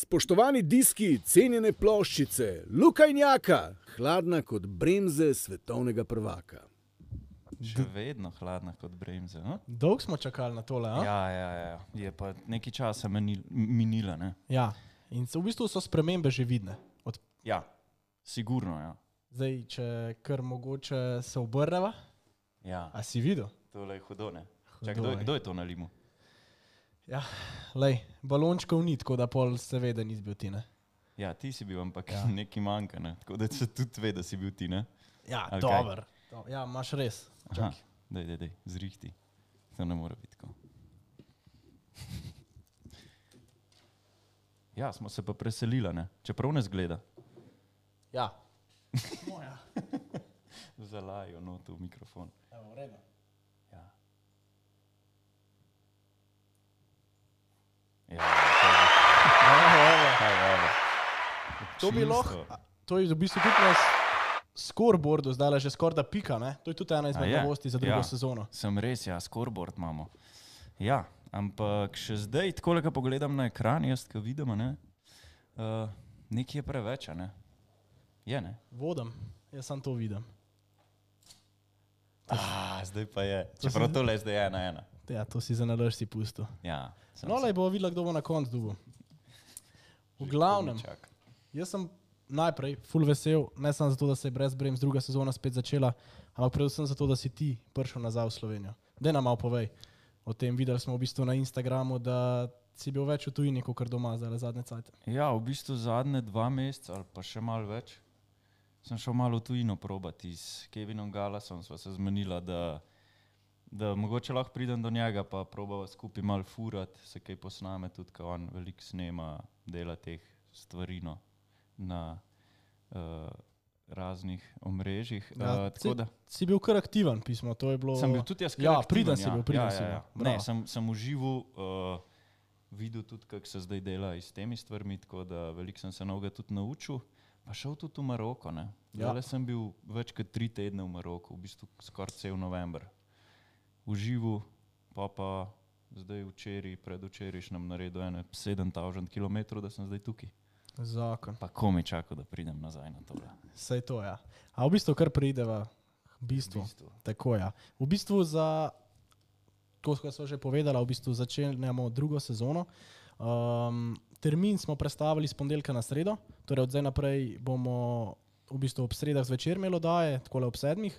Spoštovani diski, cenjene ploščice, Luka in Jaka, hladna kot bremze svetovnega prvaka. Še vedno hladna kot bremze. Dolgo smo čakali na tole, a? Ja. Je pa nekaj časa minila, ne? Ja, in v bistvu so spremembe že vidne. Ja, sigurno, ja. Zdaj, če kar mogoče se obrneva. Ja. A si videl? Tole je hudo, ne? Čak, kdo je to na limu? Ja, lej, balončkov ni, tako da pol seveda nisi bil ti, ne? Ja, ti si bil, ampak nekaj manjka, ne? Tako da se tudi ve, da si bil ti, ne? Ja, Okay. dober. Ja, imaš res. Aha, daj, zrihti. To ne mora biti tako. Ja, smo se pa preselila, ne? Čeprav ne zgleda. Ja. Moja. Zalajo noto v mikrofon. Evo, v redu. Ja. To bi lahko, to je v bistvu tudi na scoreboardu zdaj že skoraj da pika, ne? To je tudi ena izmed novosti za drugo sezono. Sem res, ja, scoreboard imamo. Ja, ampak še zdaj, tako ko pogledam na ekran, jaz, ko vidim, ne, nekaj je preveč, ne? Je, ne? Vodam, jaz sam to vidim. Zdaj pa je. Čeprav tole zdaj je 1-1. Ja, to si za nalož si pustil. Ja. No, lej bo videla, kdo bo na koncu dobil. V glavnem, jaz sem najprej ful vesel, ne samo zato, da se je brez bremz druga sezona spet začela, ampak predvsem zato, da si ti prišel nazaj v Slovenijo. Daj nam malo povej o tem. Videli smo v bistvu na Instagramu, da si bil več v tujini, kot doma zdaj zadnje cajte. Ja, v bistvu zadnje 2 meseca ali pa še malo več. Sem šel malo v tujino probati s Kevinom Gallasom, sva se zmenila, da mogoče lahko pridem do njega, pa probava skupaj malo furat, se kaj posname tudi, ko on veliko snema, dela teh stvari na raznih omrežjih. Si bil kar aktiven, pismo, to je bilo... Sem bil tudi jaz kar aktiven. Ja. Ne, sem užival, videl tudi, kako se zdaj dela s temi stvarmi, tako da veliko sem se novega tudi naučil. Pa šel tudi v Maroko, ne. Zdaj sem bil več kot 3 tedne v Maroku, v bistvu skoraj cel november. Užival, pa zdaj včeraj, predvčerajšnjem naredil 7000 kilometrov, da sem zdaj tukaj. Zakon. Pa komaj čakal, da pridem nazaj na tole. Sej to, ja. A v bistvu kar prideva, v bistvu. Tako, ja. V bistvu za, to, ko smo že povedala, v bistvu začenjamo drugo sezono. Termin smo prestavili z ponedeljka na sredo, torej od zdaj naprej bomo v bistvu ob sredah zvečer imeli oddaje, takole ob 7.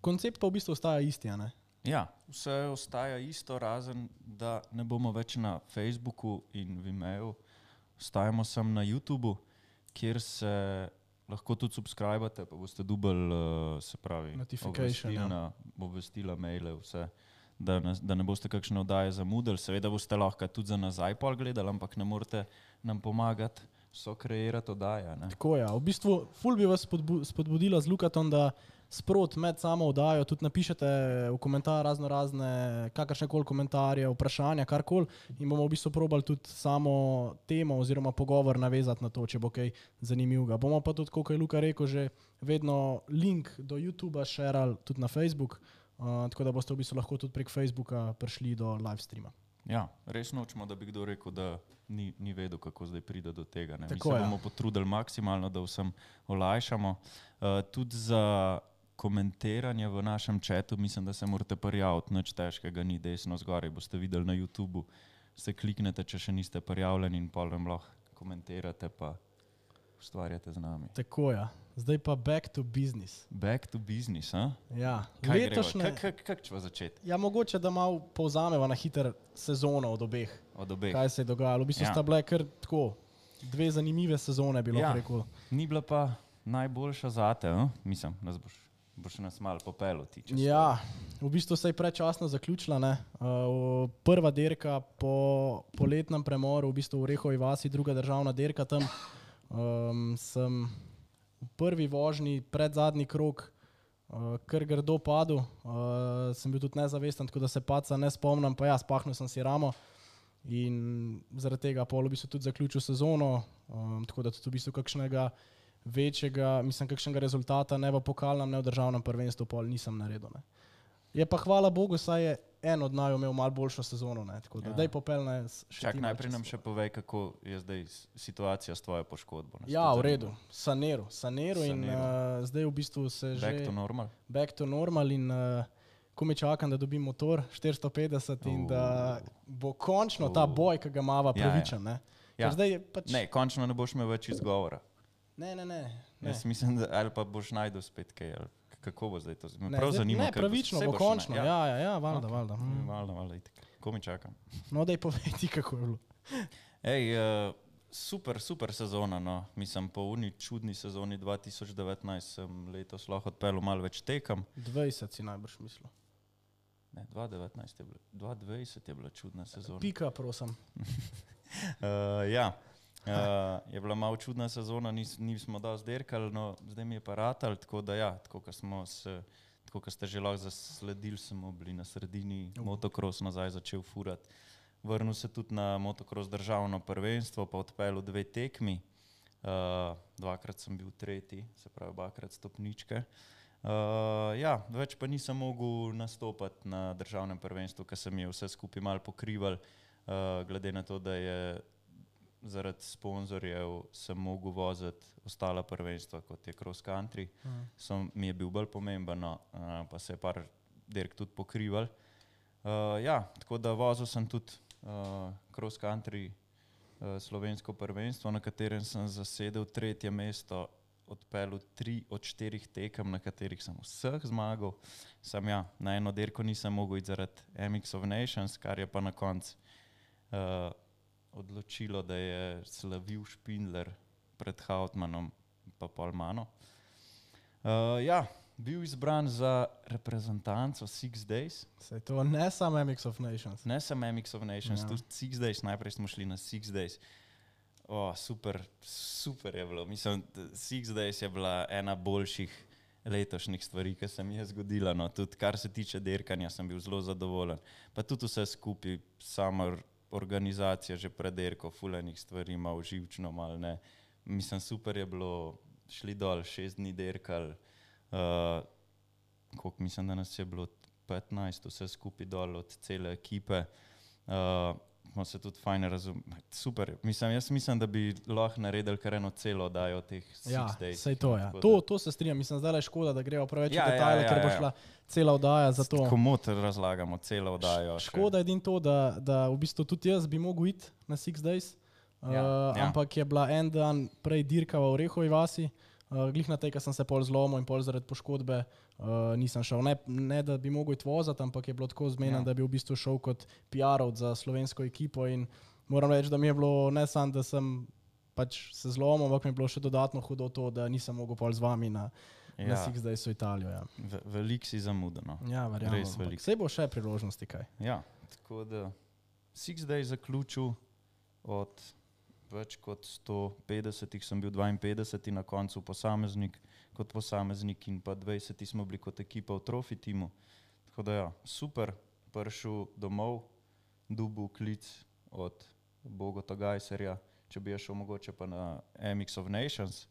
Koncept pa v bistvu ostaja isti, a ne? Ja, vse ostaja isto, razen da ne bomo več na Facebooku in Vimeo, ostajamo sem na YouTubeu, kjer se lahko tudi subscribate, pa boste dobili, se pravi, obvestila, maile, vse. Da ne boste kakšne oddaje zamudili, seveda boste lahko tudi za nazaj pol gledali, ampak ne morete nam pomagati kreirati oddaje. Ne? Tako ja, v bistvu ful bi vas spodbudila z Lukatom, da sprot med samo oddajo tudi napišete v komentar razne kakršnekoli komentarje, vprašanja, karkoli in bomo v bistvu probali tudi samo temo oziroma pogovor navezati na to, če bo kaj zanimivega. Bomo pa tudi, kot je Luka rekel, že vedno link do YouTubea šerali tudi na Facebook, tako da boste v bistvu lahko tudi prek Facebooka prišli do live streama. Ja, res nočemo, da bi kdo rekel, da ni vedel, kako zdaj pride do tega. Ne? Mi se bomo potrudili maksimalno, da vsem olajšamo. Tudi za komentiranje v našem chatu, mislim, da se morate prijaviti, nič težkega ni, desno zgoraj, boste videli na YouTubeu, se kliknete, če še niste prijavljeni in pol vam lahko komentirate pa ustvarjate z nami. Tako ja. Zdaj pa back to business. Back to business, a? Ja. Letošnje... Kako ćemo začeti? Ja, mogoče, da malo povzameva na hiter sezono od obeh. Od obeh. Kaj se je dogajalo. V bistvu sta bile kar tako, 2 zanimive sezone, bi lahko rekel. Ni bila pa najboljša zate, mislim, boš nas malo popelo ti. Ja, v bistvu se je predčasno zaključila, ne. Prva dirka po poletnem premoru, v bistvu v Orehovi vasi, druga državna dirka tam. Sem v prvi vožnji, predzadnji krog, kar grdo padel. Sem bil tudi nezavesten, tako da se paca ne spomnim, pa ja, spahnil sem si ramo in zaradi tega pol v bistvu tudi zaključil sezono, tako da tudi v bistvu kakšnega večjega, mislim, kakšnega rezultata ne v pokalnem, ne v državnem prvenstvu pol nisem naredil, ne. Je pa hvala Bogu, saj je en od naju imel malo boljšo sezono, ne, tako da daj popelne še Čak, ti malo najprej nam čez še to. povej, kako je zdaj situacija s tvojo poškodbo. Nas Ja, tudi v redu, zanima. saniral in zdaj v bistvu se Back to že normal. back to normal in ko mi čakam, da dobim motor 450 in da bo končno ta boj, ki ga mava, pravičen, ne. Ja. Ker zdaj je pač... Ne, končno ne boš imel več izgovora. Ne. Jaz mislim, da ali pa boš najdel spet kaj, ali kako bo zdaj to. Me Ne, prav zdaj- zanima, ne, kaj pravično saj bo boš končno, ja. ja, valjda. Valjda, itak. Ko mi čakam. No, daj povej ti, kako je bilo. Ej, super sezona, no. Mislim, po uni čudni sezoni 2019 sem letos lahko odpeljal malo več tekem. 20 si najbrž mislil. Ne, 2019 je bilo, 2020 je bila čudna sezona. Pika, prosim. Ja, je bila malo čudna sezona, nismo dosti derkali, no zdaj mi je pa ratal, tako da ja, tako ko ste že lahko zasledili, smo bili na sredini motocross nazaj začel furati. Vrnil se tudi na motocross državno prvenstvo, pa odpeljal 2 tekmi. Dvakrat sem bil tretji, se pravi obakrat stopničke. Ja, več pa nisem mogel nastopati na državnem prvenstvu, ker se mi je vse skupaj malo pokrival, glede na to, da je zaradi sponzorjev sem mogel voziti ostala prvenstva, kot je cross country. Mi je bil bolj pomemben, no, pa se je par dirk tudi pokrival. Ja, tako da vozil sem tudi cross country slovensko prvenstvo, na katerem sem zasedel 3. mesto, odpeljal 3 od 4 tekem, na katerih sem vseh zmagal. Ja, na eno dirko nisem mogel iti zaradi MX of Nations, kar je pa na koncu odločilo, da je slavil Špindler pred Hautmanom pa pol mano. Ja, bil izbran za reprezentanco Six Days. Saj to ne samo MX of Nations. Ne samo MX of Nations, tudi Six Days, najprej smo šli na Six Days. Super je bilo. Mislim, Six Days je bila ena boljših letošnjih stvari, ki se mi je zgodila. No. Tudi kar se tiče dirkanja, sem bil zelo zadovoljen. Pa tudi vse skupaj, sama organizacija že pred dirko, fulanih stvari, malo živčno, malo ne. Mislim, super je bilo, šli dol, 6 dni dirkali. Koliko mislim, da nas je bilo 15, vse skupaj dol od cele ekipe. Smo se tudi fajn razumeli. Super. Jaz mislim, da bi lahko naredili kar eno celo oddajo teh Six Days. Sej to, ja. To se strinjam. Mislim, zdaj je škoda, da greva preveč v detajle, ker bo šla cela oddaja za to. Komot razlagamo celo oddajo. Škoda je edino to, da v bistvu tudi jaz bi mogel iti na Six Days, ampak je bila en dan prej dirka v Orehovi vasi, glih na tej, ker sem se pol zlomil in pol zaradi poškodbe nisem šel. Ne, da bi mogel iti vozati, ampak je bilo tako zmenen, da bi v bistvu šel kot PR-ovc za slovensko ekipo in moram reči, da mi je bilo ne samo, da sem pač se zlomil, ampak mi je bilo še dodatno hudo to, da nisem mogel pol z vami na Six Days v Italijo. Ja. Veliko si zamudeno. Ja, verjamem. Sej bo še priložnosti kaj. Ja, tako da Six Days zaključil od več kot 150, sem bil 52 na koncu kot posameznik in pa 20 smo bili kot ekipa v Trophy timu. Tako da ja, super, prišel domov, dobil klic od Bogota Gajserja, če bi šel mogoče pa na MX of Nations.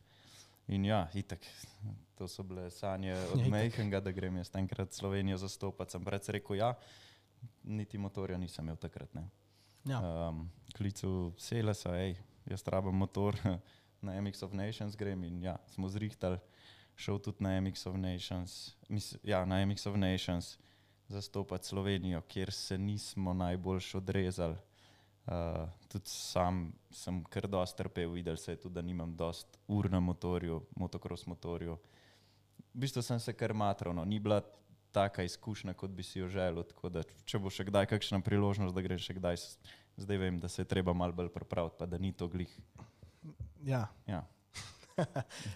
In ja, itak, to so bile sanje od Mejhenga, da grem jaz enkrat Slovenijo zastopati. Sem pred rekel ja, niti motorja nisem imel takrat, ne. Ja. Klicu Selesa, jaz rabam motor, na MX of Nations grem in ja, smo zrihtali, šel tudi na MX of Nations, na MX of Nations zastopati Slovenijo, kjer se nismo najboljš odrezali. Tudi sam sem kar dosti trpel, videl se je tudi, da nimam dosti ur na motorju, motocross motorju. V bistvu sem se kar matral, no, ni bila taka izkušnja, kot bi si jo želel, tako da če bo še kdaj kakšna priložnost, da grem še kdaj, zdaj vem, da se je treba malo bolj pripraviti, pa da ni to glih. Ja. Ja.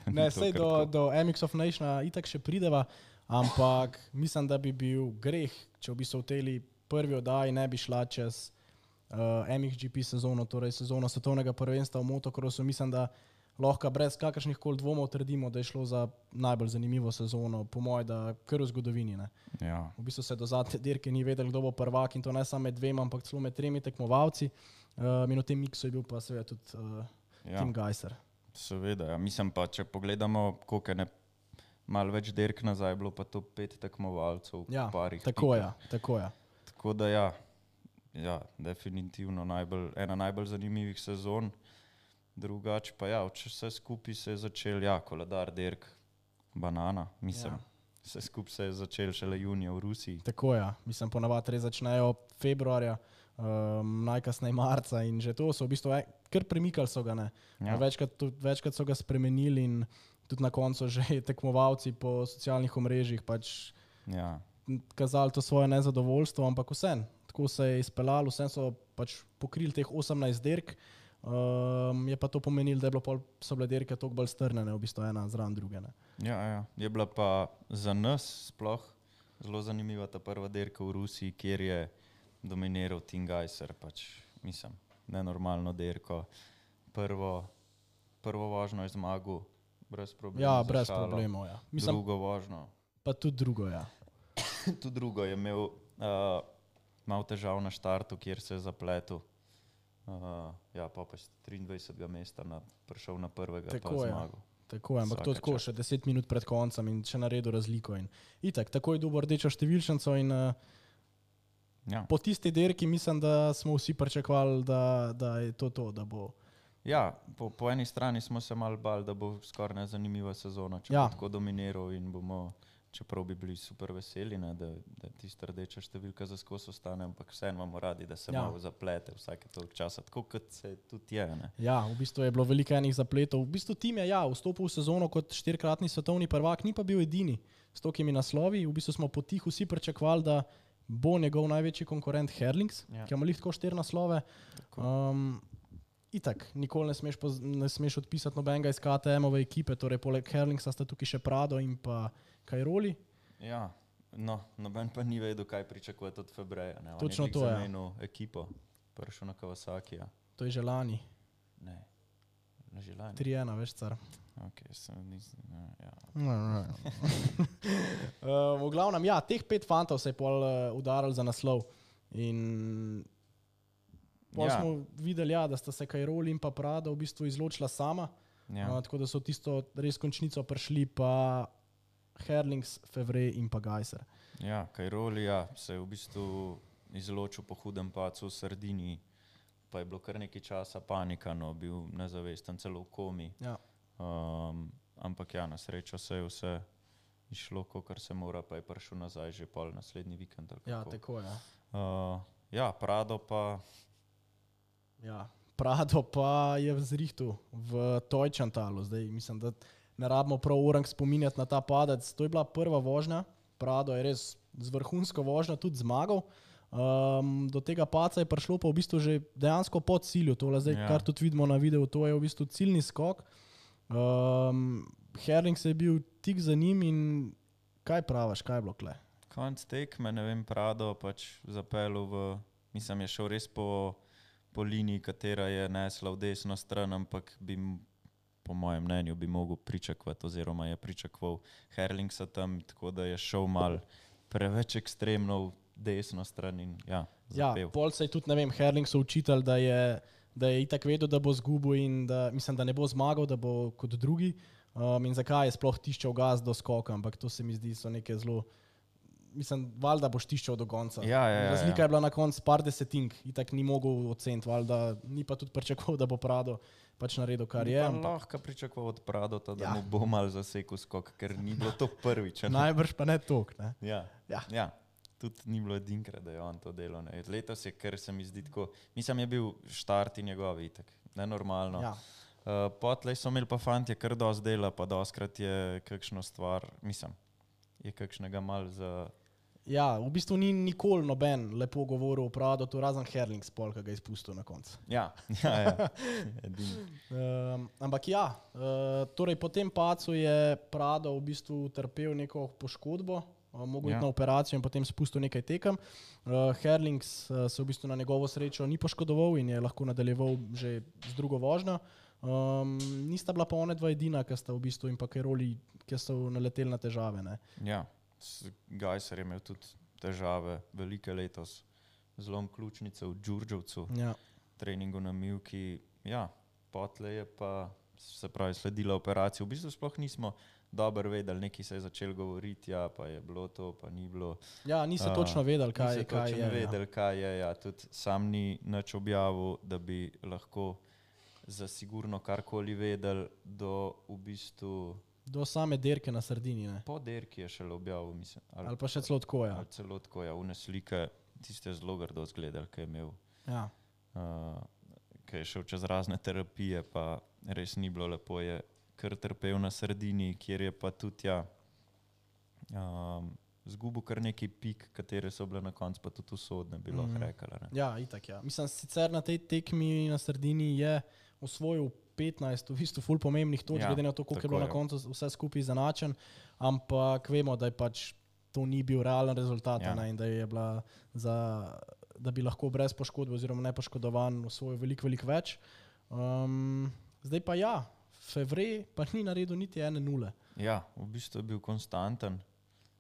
Ne, sej do MX of Nationa itak še prideva, ampak mislim, da bi bil greh, če v bistvu v tej prvi oddaji ne bi šla čez MXGP sezono, torej sezono svetovnega prvenstva v motocrossu. Mislim, da lahko brez kakršnih koli dvomov trdimo, da je šlo za najbolj zanimivo sezono, po moje, da kar v zgodovini. Ne. Ja. V bistvu se do zadnje dirke ni vedel, kdo bo prvak in to ne samo med 2, ampak celo med 3 tekmovalci. In v tem miksu je bil pa seveda tudi Tim Gajser. Seveda, ja. Mislim pa, če pogledamo, koliko je malo več dirk nazaj, bilo pa to 5 tekmovalcev v Ja, parih. tako pikah. je, tako je. Tako da ja, definitivno ena najbolj zanimivih sezon. Drugače pa ja, če vse skupaj se je začel, koledar dirk, banana, mislim. Vse skupaj se je začel šele junija v Rusiji. Tako je, mislim, ponavadi res začnejo februarja, najkasneje marca in že to so v bistvu kar premikali so ga, ne. Ja. Večkrat so ga spremenili in tudi na koncu že tekmovalci po socialnih omrežjih pač Ja. kazali to svoje nezadovoljstvo, ampak vsem, tako se je izpeljalo, vsem so pač pokrili teh 18 dirk, je pa to pomenilo, da so bile dirke toliko bolj strnjene, v bistvu ena zraven druge. Ne. Ja. Je bila pa za nas sploh zelo zanimiva ta prva dirka v Rusiji, kjer je dominiral Tim Gajser, pač mislim, nenormalno dirko. Prvo vožnjo je zmagal brez problemov. Ja, brez problemov, ja. Mislim, Drugo vožnjo. pa tudi drugo, ja. Tudi drugo je imel malo težav na štartu, kjer se je zapletel. Pa iz 23. mesta prišel na prvega, Tako pa je. zmagal. Tako je, ampak to Vsaka tako čast. še 10 minut pred koncem in še naredil razliko. In itak, tako je dobil rdečo številčnico in Ja. po tisti dirki mislim, da smo vsi pričakovali, da je to, da bo. Ja, po eni strani smo se malo bali, da bo skoraj nezanimiva sezona, če Ja. bo tako dominiral in bomo, čeprav bi bili super veseli, ne, da tista rdeča številka za skos ostane, ampak vseeno imamo radi, da se malo zaplete vsake toliko časa, tako kot se tudi je. Ne. Ja, v bistvu je bilo veliko enih zapletov. V bistvu tim je vstopil v sezono kot 4-kratni svetovni prvak, ni pa bil edini s tokimi naslovi. V bistvu smo potiho vsi pričakovali, da bo njegov največji konkurent Herlings, ki ima lahko 4 naslove. Itak, nikoli ne smeš odpisati nobenega iz KTM-ove ekipe, torej poleg Herlingsa sta tukaj še Prado in pa Kajroli. Ja, noben pa ni vedel, kaj pričakovati od Febreja. Ne. Točno to, ja. Zamenil ekipo, prišel na Kawasakija. To je že lani. Ne, že lani. 3-1, veš, car. Okay, V glavnem, ja, teh 5 fantov se je pol udarili za naslov. In pol smo videli, da sta se Kajroli in pa Prado v bistvu izločila sama. Tako da so tisto res končnico prišli pa Herlings, Fevre in pa Gajser. Ja, Kajroli se je v bistvu izločil po hudem padcu v Sardiniji, pa je bilo kar nekaj časa panika, bil nezavesten, celo v komi. Ja. Ampak na srečo se je vse išlo, kakor se mora, pa je prišel nazaj že pol naslednji vikend. Ja, tako je. Prado pa... Ja, Prado pa je zrihtu v Tojčantalu. Zdaj mislim, da ne rabimo prav orang spominjati na ta padec. To je bila prva vožnja. Prado je res z vrhunsko vožnjo tudi zmagal. Do tega paca je prišlo pa v bistvu že dejansko po cilju. Tole zdaj, kar tudi vidimo na videu, to je v bistvu ciljni skok. Herlings je bil tik za njim in kaj praviš, kaj je bilo kle? Konc tekme, ne vem, Prado pač zapeljal mislim, je šel res po liniji, katera je nesla v desno stran, ampak po mojem mnenju bi mogel pričakovati oziroma je pričakoval Herlingsa tam, tako da je šel mal preveč ekstremno v desno stran in zapel. Ja, pol se je tudi, ne vem, Herlingsu učitelj, da je itak vedel, da bo zgubil in da, mislim, da ne bo zmagal, da bo kot drugi. In zakaj je sploh tiščal gas do skoka, ampak to se mi zdi so neke zelo... Mislim, valjda boš tiščal do konca. Ja. Razlika je bila na koncu par desetink, itak ni mogel oceniti, valjda ni pa tudi pričakoval, da bo Prado pač naredil, kar je. Lahko pričakoval od Pradota, da mu bo mal zasekal skok, ker ni bilo to prvič. Najbrž pa ne toliko, ne? Ja. Tudi ni bilo edinkrat, da je on to delal. Ne. Letos je, ker se mi zdi tako, mislim, je bil štarti njegovi itak, nenormalno. Ja. Potlej so imeli pa fantje kar dosti dela, pa dostkrat je kakšno stvar, mislim, je kakšnega mal za... Ja, v bistvu ni nikoli noben lepo govoril o Pradotu, razen Herlings pol, ki ga je izpustil na koncu. Ja. Ampak torej po tem pacu je Prado v bistvu trpel neko poškodbo, mogel iti na operacijo in potem spustil nekaj tekem. Herlings se v bistvu na njegovo srečo ni poškodoval in je lahko nadaljeval že z drugo vožnjo. Nista bila pa one dva edina, ki sta v bistvu in pa Kajroli, ki so naleteli na težave. Ne? Ja. Gajser je imel tudi težave velike letos, zlom ključnice v Đurđevcu, treningu na Mivki, potlej je pa se pravi, sledila operacija. V bistvu sploh nismo dobro vedeli, nekaj se je začelo govoriti, ja, pa je bilo to, pa ni bilo. Ja, niste točno vedeli, kaj je. Vedeli, kaj je, ja. Tudi sam ni nič objavil, da bi lahko za sigurno karkoli vedeli do v bistvu... Do same dirke na Sardini, ne? Po dirki je šele objavil, mislim. Ali pa še celo tako, ja. Ali celo tako, ja. Une slike, tiste zelo grdo zgledali, kaj je imel. Ja. Kaj je šel čez razne terapije, pa res ni bilo lepo, je kar trpel na Sardini, kjer je pa tudi, ja, zgubil kar nekaj pik, katere so bile na koncu, pa tudi usodne, bi lahko rekala. Ne? Ja, itak, ja. Mislim, sicer na tej tekmi na Sardini je osvojil 15 v bistvu ful pomembnih točk, glede na to, koliko je bilo na koncu vse skupaj zanačen, ampak vemo, da je pač to ni bil realen rezultat, ja. In da je bila da bi lahko brez poškodbe oziroma nepoškodovan osvojil veliko več. Zdaj pa ja, Fevre pa ni naredil niti 1-0. Ja, v bistvu je bil konstanten,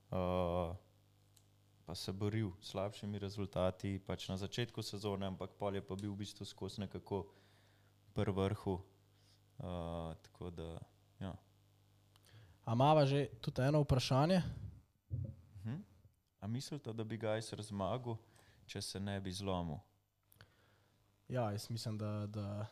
pa se boril s slabšimi rezultati pač na začetku sezone, ampak pol je pa bil v bistvu skozi nekako pri vrhu. Tako da, ja. A imava že tudi eno vprašanje? A mislite, da bi Gajser zmagal, če se ne bi zlomil? Ja, jaz mislim, da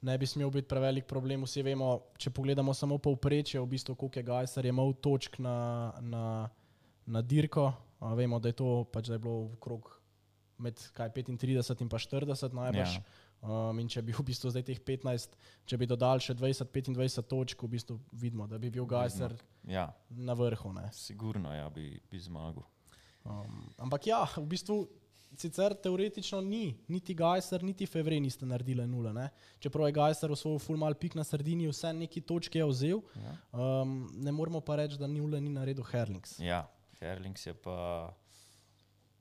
ne bi smel biti prevelik problem. Vsi vemo, če pogledamo samo povprečje, v bistvu koliko je Gajser imel točk na dirko. Vemo, da je to pač, da je bilo okrog med 35 in pa 40 najbrž. Ja. In če bi v bistvu zdaj teh 15, če bi dodali še 20-25 točk, v bistvu vidimo, da bi bil Gajser na vrhu. Ne? Sigurno, ja, bi zmagal. Ampak ja, v bistvu sicer teoretično niti Gajser, niti Fevre niste naredili 0. Ne? Čeprav je Gajser osvojil ful mal pik na Sardini, vse neki točke je vzel, ne moramo pa reči, da 0 ni naredil Herlings. Ja, Herlings je pa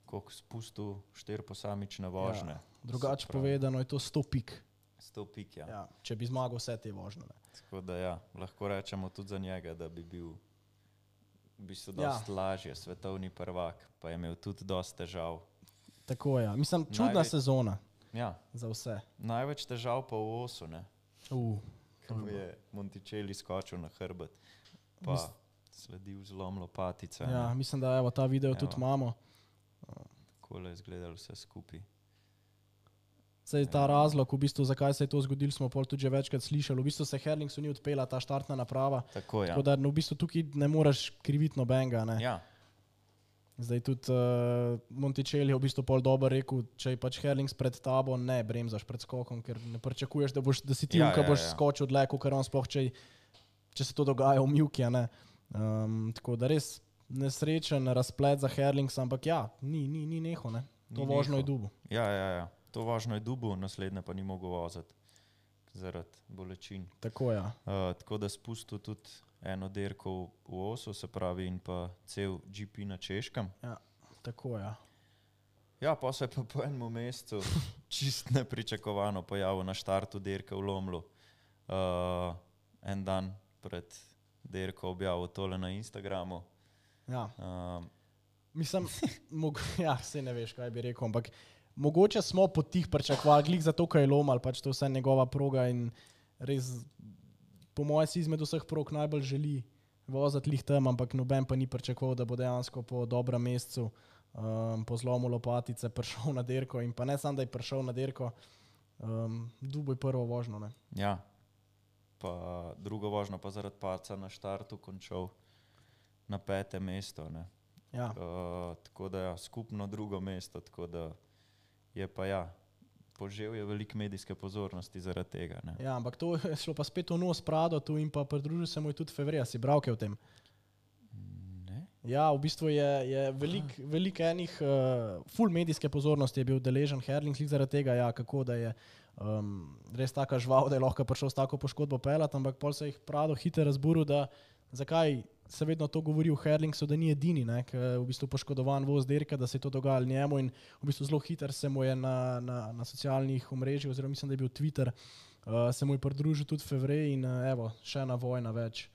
koliko spustil 4 posamične vožnje. Ja. Drugače povedano je to 100 pik. 100 pik, ja. Ja, če bi zmagal vse te vožnje. Ne. Tako da ja, lahko rečemo tudi za njega, da bi bil v bistvu dosti lažje svetovni prvak, pa je imel tudi dosti težav. Tako ja, mislim, čudna sezona za vse. Največ težav pa v osu, ne? Ko je Monticelli skočil na hrbet, pa sledil zlom lopatice. Ja, mislim, da evo, ta video tudi imamo. Takole je izgledalo vse skupaj. Saj ta razlog, v bistvu, zakaj se je to zgodilo, smo pol tudi že večkrat slišali. V bistvu se Herlingsu ni odpela ta štartna naprava. Tako, ja. Tako da v bistvu tukaj ne moreš kriviti nobenega. Ne. Ja. Zdaj tudi Monticelli je v bistvu pol dobro rekel, če je pač Herlings pred tabo, ne bremzaš pred skokom, ker ne pričakuješ, da si ti boš skočil dlje, ker on sploh, če se to dogaja v mivki. Tako da res nesrečen razplet za Herlings, ampak ja, ni neho, ne. To vožno je dubu. Ja. To vožno je dubu, naslednje pa ni mogel voziti zaradi bolečin. Tako, ja. Tako da spustil tudi eno dirko v osu, se pravi, in pa cel GP na Češkem. Ja, tako, ja. Ja, pa se je pa po enem mesecu čist nepričakovano pojavil na štartu dirke v Lomlu. En dan pred dirko objavil tole na Instagramu. Ja. Mislim, ja, saj ne veš, kaj bi rekel, ampak mogoče smo po tih pričakovali, glih zato, kaj je Lom ali pač to vse njegova proga in res, po moje si izmed vseh prog najbolj želi voziti lih tam, ampak noben pa ni pričakoval, da bo dejansko po dobrem mesecu po zlomu lopatice prišel na dirko in pa ne samo, da je prišel na dirko, dubo je prvo vožno. Ne? Ja, pa drugo vožno pa zaradi padca na štartu končal na 5. mesto. Ne? Ja. Tako da ja, skupno drugo mesto, tako da je pa ja, požel je veliko medijske pozornosti zaradi tega. Ne? Ja, ampak to je šlo pa spet v nos Pradotu in pa pridružil se mu je tudi Fevre. Si bral kaj o tem? Ne? Ja, v bistvu je veliko enih full medijske pozornosti je bil deležen Herlings zaradi tega, ja, kako da je res taka žval, da je lahko prišel s tako poškodbo pelat, ampak pol se jih Prado hitro razburil, da zakaj se vedno to govori v Herlingsu, da ni edini, ne, v bistvu poškodovan voz dirke, da se je to dogajalo njemu in v bistvu zelo hiter se mu je na socialnih omrežjih, oziroma mislim, da je bil Twitter, se mu je pridružil tudi Fevre in evo, še ena vojna več.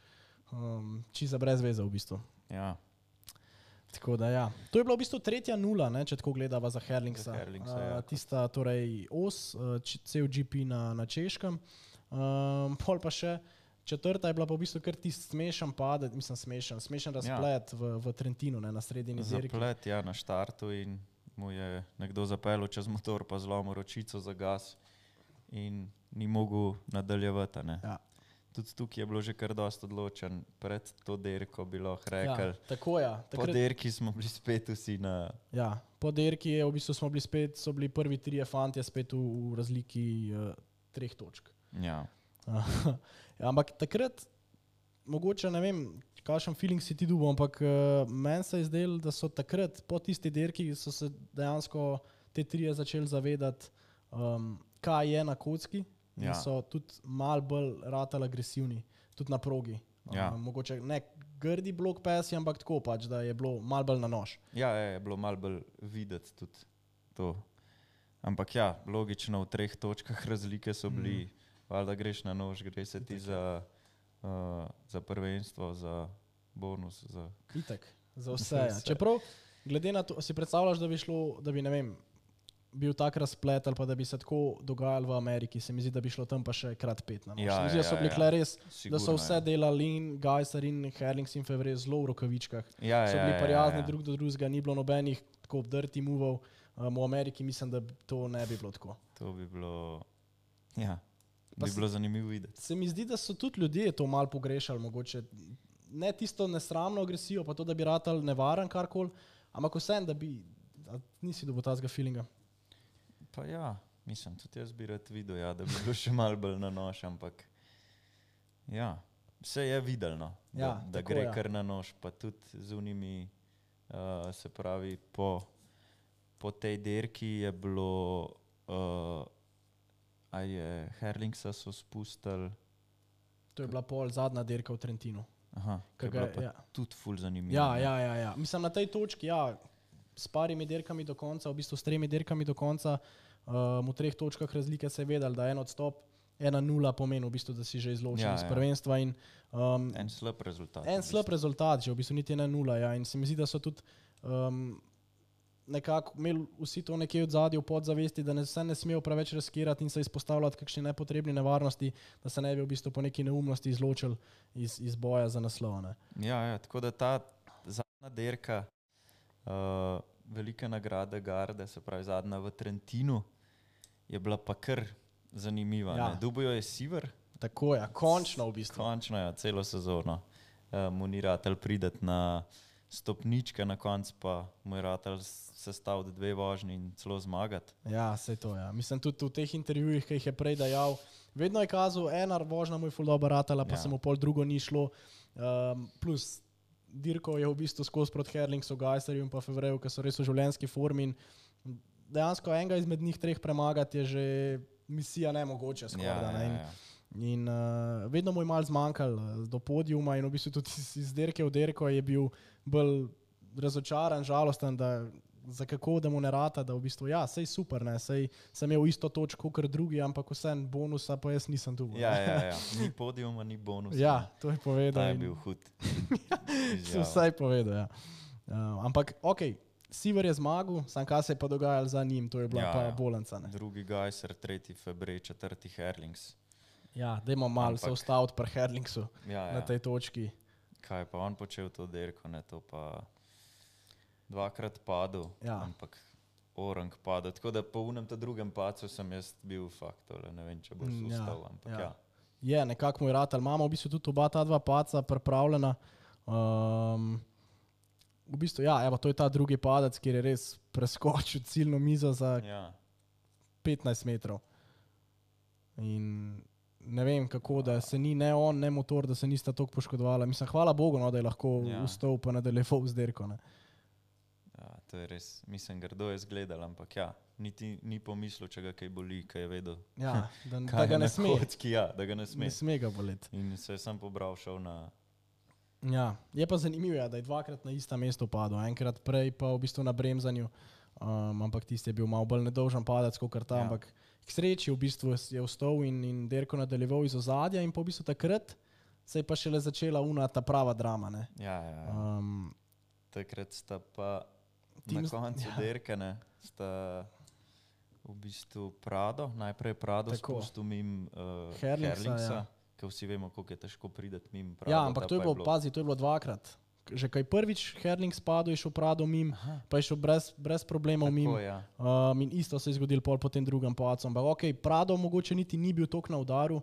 Čisto brez veze v bistvu. Ja. Tako da ja. To je bila v bistvu 3. 0, ne, če tako gledava za Herlingsa. Ja. Tista torej os, cel GP na Češkem. Pol pa še četrta je bila pa v bistvu kar tisti smešen padec, mislim smešen razplet v Trentinu, ne, na sredini dirki. Zaplet, ja, na štartu in mu je nekdo zapeljal čez motor pa zlomil ročico za gas in ni mogel nadaljevati, ne. Ja. Tudi tukaj je bilo že kar dosti odločen, pred to dirko bi lahko rekel. Ja, tako ja. Po dirki smo bili spet vsi na... Ja, po dirki je v bistvu so bili prvi trije fantje spet v razliki 3 točk. Ja. Ja, ampak takrat, mogoče ne vem, kakšen feeling si ti dobil, ampak meni se je zdelo, da so takrat po tisti dirki so se dejansko te trije začeli zavedati, kaj je na kocki. In so tudi malo bolj ratali agresivni, tudi na progi. Ja. Mogoče ne grdi blok pesi, ampak tako pač, da je bilo malo bolj na nož. Ja, je bilo malo bolj videti tudi to. Ampak ja, logično v 3 točkah razlike so bili, valjda greš na nož, gre se ti za prvenstvo, za bonus. Itak, za vse. Ja. Čeprav, glede na to, si predstavljaš, da bi šlo, da bi, ne vem, bil tak razplet ali pa da bi se tako dogajalo v Ameriki, se mi zdi, da bi šlo tam pa še krat 5 na nož. Ja, se mi zdi, da so bili res, sigurno, da so vse delali in Gajser in Herlings in Fevre zelo v rokavičkah. Ja, so bili prijazni drug do drugega, ni bilo nobenih tako dirty movov. V Ameriki mislim, da to ne bi bilo tako. To bi bilo, ja, bi bilo zanimivo videti. Se mi zdi, da so tudi ljudje to malo pogrešali, mogoče ne tisto nesramno agresijo, pa to, da bi ratal nevaren karkoli, ampak vsem, da bi, nisi dobil tazga feelinga. Pa ja, mislim, tudi jaz bi rad videl, ja, da bi bilo še malo bolj na nož, ampak ja, vse je videlo, ja, da gre kar na nož, pa tudi z unimi, se pravi, po tej dirki je bilo, Herlingsa so spustili. To je bila pol zadnja dirka v Trentinu. Aha, ki je bila pa tudi ful zanimiva. Ja. Mislim, na tej točki, ja, s parimi dirkami do konca, v bistvu s 3 dirkami do konca, v 3 točkah razlike se je vedel, da en odstop, 1-0 pomeni v bistvu, da si že izločen iz prvenstva. In, en slab rezultat. En slab rezultat, že v bistvu niti 1-0. Ja. In se mi zdi, da so tudi nekako imeli vsi to nekje od zadnje v podzavesti, da se ne smejo preveč riskirati in se izpostavljati kakšne nepotrebne nevarnosti, da se ne bi v bistvu po neki neumnosti izločili iz boja za naslov. Ne. Ja, tako da ta zadnja dirka, velike nagrade Garde, se pravi zadnja v Trentinu, je bila pa kar zanimiva. Ja. Dobil je Siver. Tako je, končno v bistvu. Končno, ja, celo sezono. Mu ni ratel prideti na stopničke, na koncu pa mu je ratel sestaviti 2 vožnji in celo zmagati. Ja, sej to, ja. Mislim, tudi v teh intervjujih, ki jih je prej dajal, vedno je kazal, ena vožnja mu je ful dobro ratala, pa se mu pol drugo ni šlo. Plus dirko je v bistvu skozi proti Herlingsu, Gajserju in pa Fevreju, ki so res v življenjski formi in dejansko enega izmed njih 3 premagati je že misija nemogoče skoraj. Ja. In vedno mu je malo zmanjkalo do podijuma in v bistvu tudi iz dirke v dirko je bil bolj razočaran, žalosten, da za kako, da mu ne rata, da v bistvu, ja, sej super, ne, sej sem imel isto točko kot drugi, ampak vsem bonusa pa jaz nisem dobil. Ja. Ni podijuma, ni bonusa. Ja, to je povedal. Ta je bil hud. So vsaj povedal, ja. Ampak, okej, Siver je zmagal, sam kaj se je pa dogajalo za njim, to je bila pa bolanca. Ne. Drugi Gajser, 3. Febrej, 4. Herlings. Ja, dajmo malo se ustaviti pri Herlingsu na tej točki. Kaj pa on počel to dirko, ne, to pa 2-krat padel, ampak orang padel. Tako da po unem ta drugem pacu sem jaz bil faktor, ne vem, če boš ustal, ampak ja. Je, nekako mu je ratal. Imamo v bistvu tudi oba ta 2 paca pripravljena. V bistvu, ja, evo, to je ta drugi padec, kjer je res preskočil ciljno mizo za 15 metrov. In ne vem kako, da se ni ne on, ne motor, da se nista toliko poškodovala. Mislim, hvala Bogu, no, da je lahko ustal pa nadaljeval z dirko. Ne. Ja, to je res, mislim, grdo je zgledal, ampak ja, niti ni pomislil, če ga kaj boli, kaj je vedel. Ja, da ga ne sme. Da ga ne sme. Ne sme ga boleti. In se je sam pobral, šel na... Ja, je pa zanimivo, da je 2-krat na ista mesto padel, enkrat prej pa v bistvu na bremzanju, ampak tisti je bil malo bolj nedolžen padec, kot ta, ampak k sreči v bistvu je vstal in dirko nadaljeval iz ozadja in po v bistvu takrat se je pa šele začela ta prava drama. Ne. Ja. Takrat sta pa na koncu dirke, ne, sta v bistvu Prado, najprej Prado Tako. spustil mimo Herlingsa, Herlingsa, ja. ker vsi vemo, koliko je težko priti mimo Prado. Ja, ampak to je bilo, pazi, to je bilo dvakrat. Že kaj prvič Herling spadal, je šel Prado mim, pa je šel brez problemov mim. Tako, ja. In isto se je zgodilo pol po tem drugem pacu. Ampak ok, Prado mogoče niti ni bil toliko na udaru,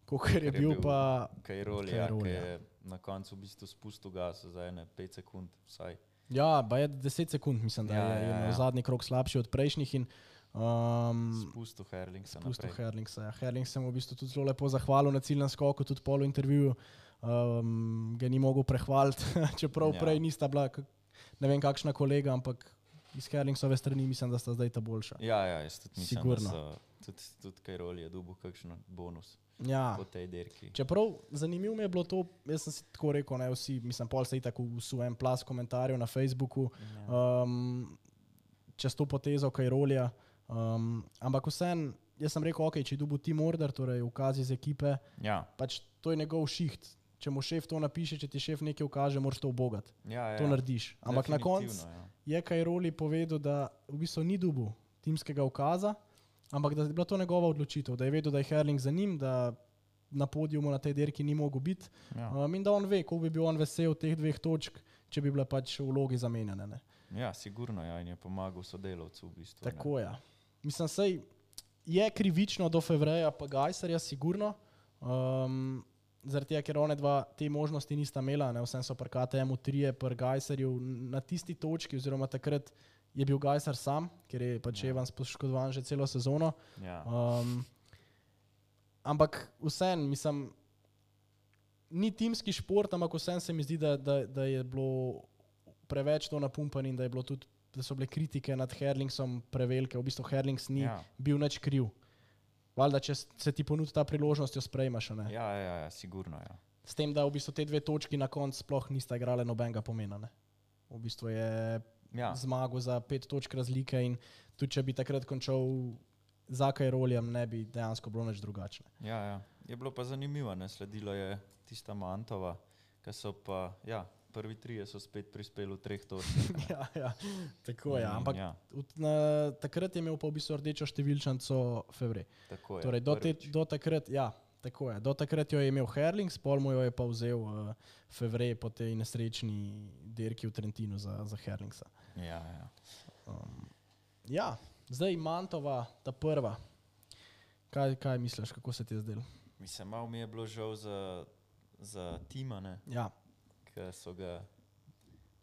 kot je bil pa Kajrol, ja, Kajrol, ki ja. je na koncu v bistvu spustil gas za ene 5 sekund vsaj. Ja, pa je 10 sekund, mislim, da je imel zadnji krog slabši od prejšnjih in Spustil Herlingsa spustil naprej. Herlingsa. Ja. Herling se mu v bistvu tudi zelo lepo zahvalil na ciljnem skoku, tudi pol v intervjuju. Ga ni mogel prehvaliti, čeprav prej nista bila, ne vem kakšna kolega, ampak iz Herlingsove strani mislim, da sta zdaj ta boljša. Ja, jaz tudi mislim, Sigurno. da tudi Kajrol je dobil kakšen bonus Ja. po tej dirki. Čeprav zanimivo mi je bilo to, jaz sem si tako rekel, ne vsi, mislim, pol se je tako v svojem plas komentarjev na Facebooku, čez to potezo Kajrolja, ampak vsem, jaz sem rekel, ok, če je dobil team order, torej ukaz iz ekipe, pač to je njegov šiht. Če mu šef to napiše, če ti šef nekaj ukaže, moraš to ubogati. To narediš. Ampak na koncu je Kajroli povedal, da v bistvu ni dobil timskega ukaza, ampak da je bila to njegova odločitev, da je vedel, da je Herling za njim, da na podiumu na tej dirki ni mogel biti in da on ve, koliko bi bil on vesel teh 2 točk, če bi bile pač vlogi zamenjane. Ne. Ja, sigurno, ja, in je pomagal sodelavcu v bistvu. Tako je. Mislim, sej je krivično do Fevreja pa Gajserja, sigurno. Zaradi tega, ker one dva te možnosti nista imela, ne, vsem so pri KTM-u 3, pri Gajserju na tisti točki, oziroma takrat je bil Gajser sam, ker je pač Evans poškodovan že celo sezono. Ampak vsem, mislim, ni timski šport, ampak vsem se mi zdi, da je bilo preveč to napumpano in da je bilo tudi, da so bile kritike nad Herlingsom prevelike. V bistvu Herlings ni bil nič kriv. Valjda, če se ti ponudi ta priložnost, jo sprejmaš. Ne? Ja, sigurno. Ja. S tem, da v bistvu te 2 točki na koncu sploh nista igrale nobenega pomena. Ne? V bistvu je zmagal za 5 točk razlike in tudi če bi takrat končal za Kajroljem, ne bi dejansko bilo nič drugačne. Ja. Je bilo pa zanimivo, ne? Sledilo je tista Mantova, ki so pa, prvi 3 so spet prispeli v 3 točkah. ja, tako je. Ampak takrat je imel pa v bistvu rdečo številčnico Fevrej. Tako je. Torej, do takrat, tako je. Do takrat jo je imel Herlings, pol mu jo je pa vzel Fevrej po tej nesrečni dirki v Trentinu za Herlingsa. Ja. Zdaj Mantova, ta prva. Kaj misliš, kako se ti je zdelo? Mislim, malo mi je bilo žal za tima, ne? Ja. Ki so ga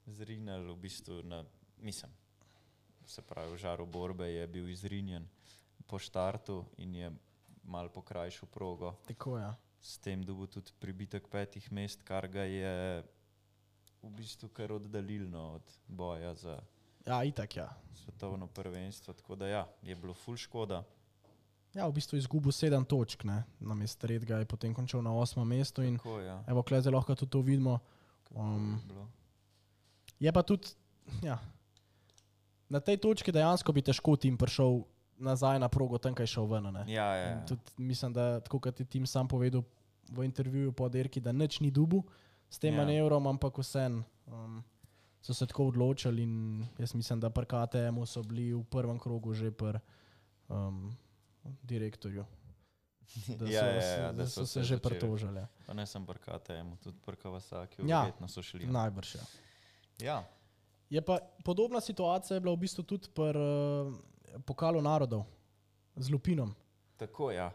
zrinjali v bistvu se pravi, v žaru borbe je bil izrinjen po štartu in je malo pokrajšal progo. Tako je. S tem dobil tudi pribitek 5 mest, kar ga je v bistvu kar oddaljilno od boja za itak, svetovno prvenstvo, tako da je bilo ful škoda. Ja, v bistvu izgubil 7 točk, ne, namesto 3 je potem končal na 8. mestu in evo, klej zdaj lahko tudi to vidimo. Je pa tudi, na tej točki dejansko bi težko tim prišel nazaj na progo, tam kaj šel ven. Ja. Tudi mislim, da tako kot je tim sam povedal v intervjuju po dirki, da nič ni dubu s tem manevrom, ampak vsem so se tako odločili in jaz mislim, da pri KTM-u so bili v prvem krogu že pri direktorju. Da so se že pritožili. Pa ne sem pri KTM-u, tudi pri Kawasakiju, verjetno so šli. Najbrž, Ja. Je pa podobna situacija je bila v bistvu tudi pri Pokalu narodov z Lupinom. Tako, ja.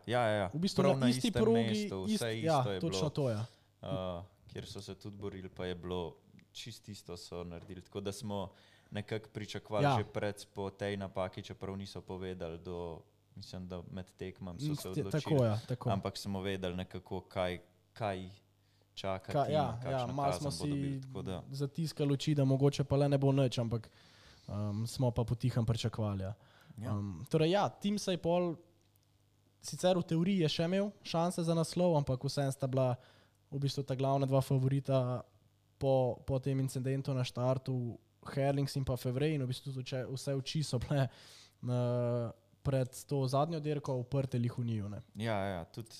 V bistvu prav na isti progi, mestu, vse isto je točno bilo. To je. Kjer so se tudi borili, pa je bilo čist isto so naredili. Tako da smo nekako pričakovali že po tej napaki, čeprav niso povedali mislim, da med tekmami so se odločili. Tako. Ampak smo vedeli nekako, kaj čakati. Malo smo si zatiskali oči, da mogoče pa le ne bo nič, ampak smo pa potihem pričakovali. Torej tim se je pol, sicer v teoriji je še imel šanse za naslov, ampak vsem sta bila v bistvu ta glavna 2 favorita po tem incidentu na štartu, Herlings in pa Fevrej, in v bistvu vse oči so bile pred to zadnjo dirko uprte Lihuniju. Ja, tudi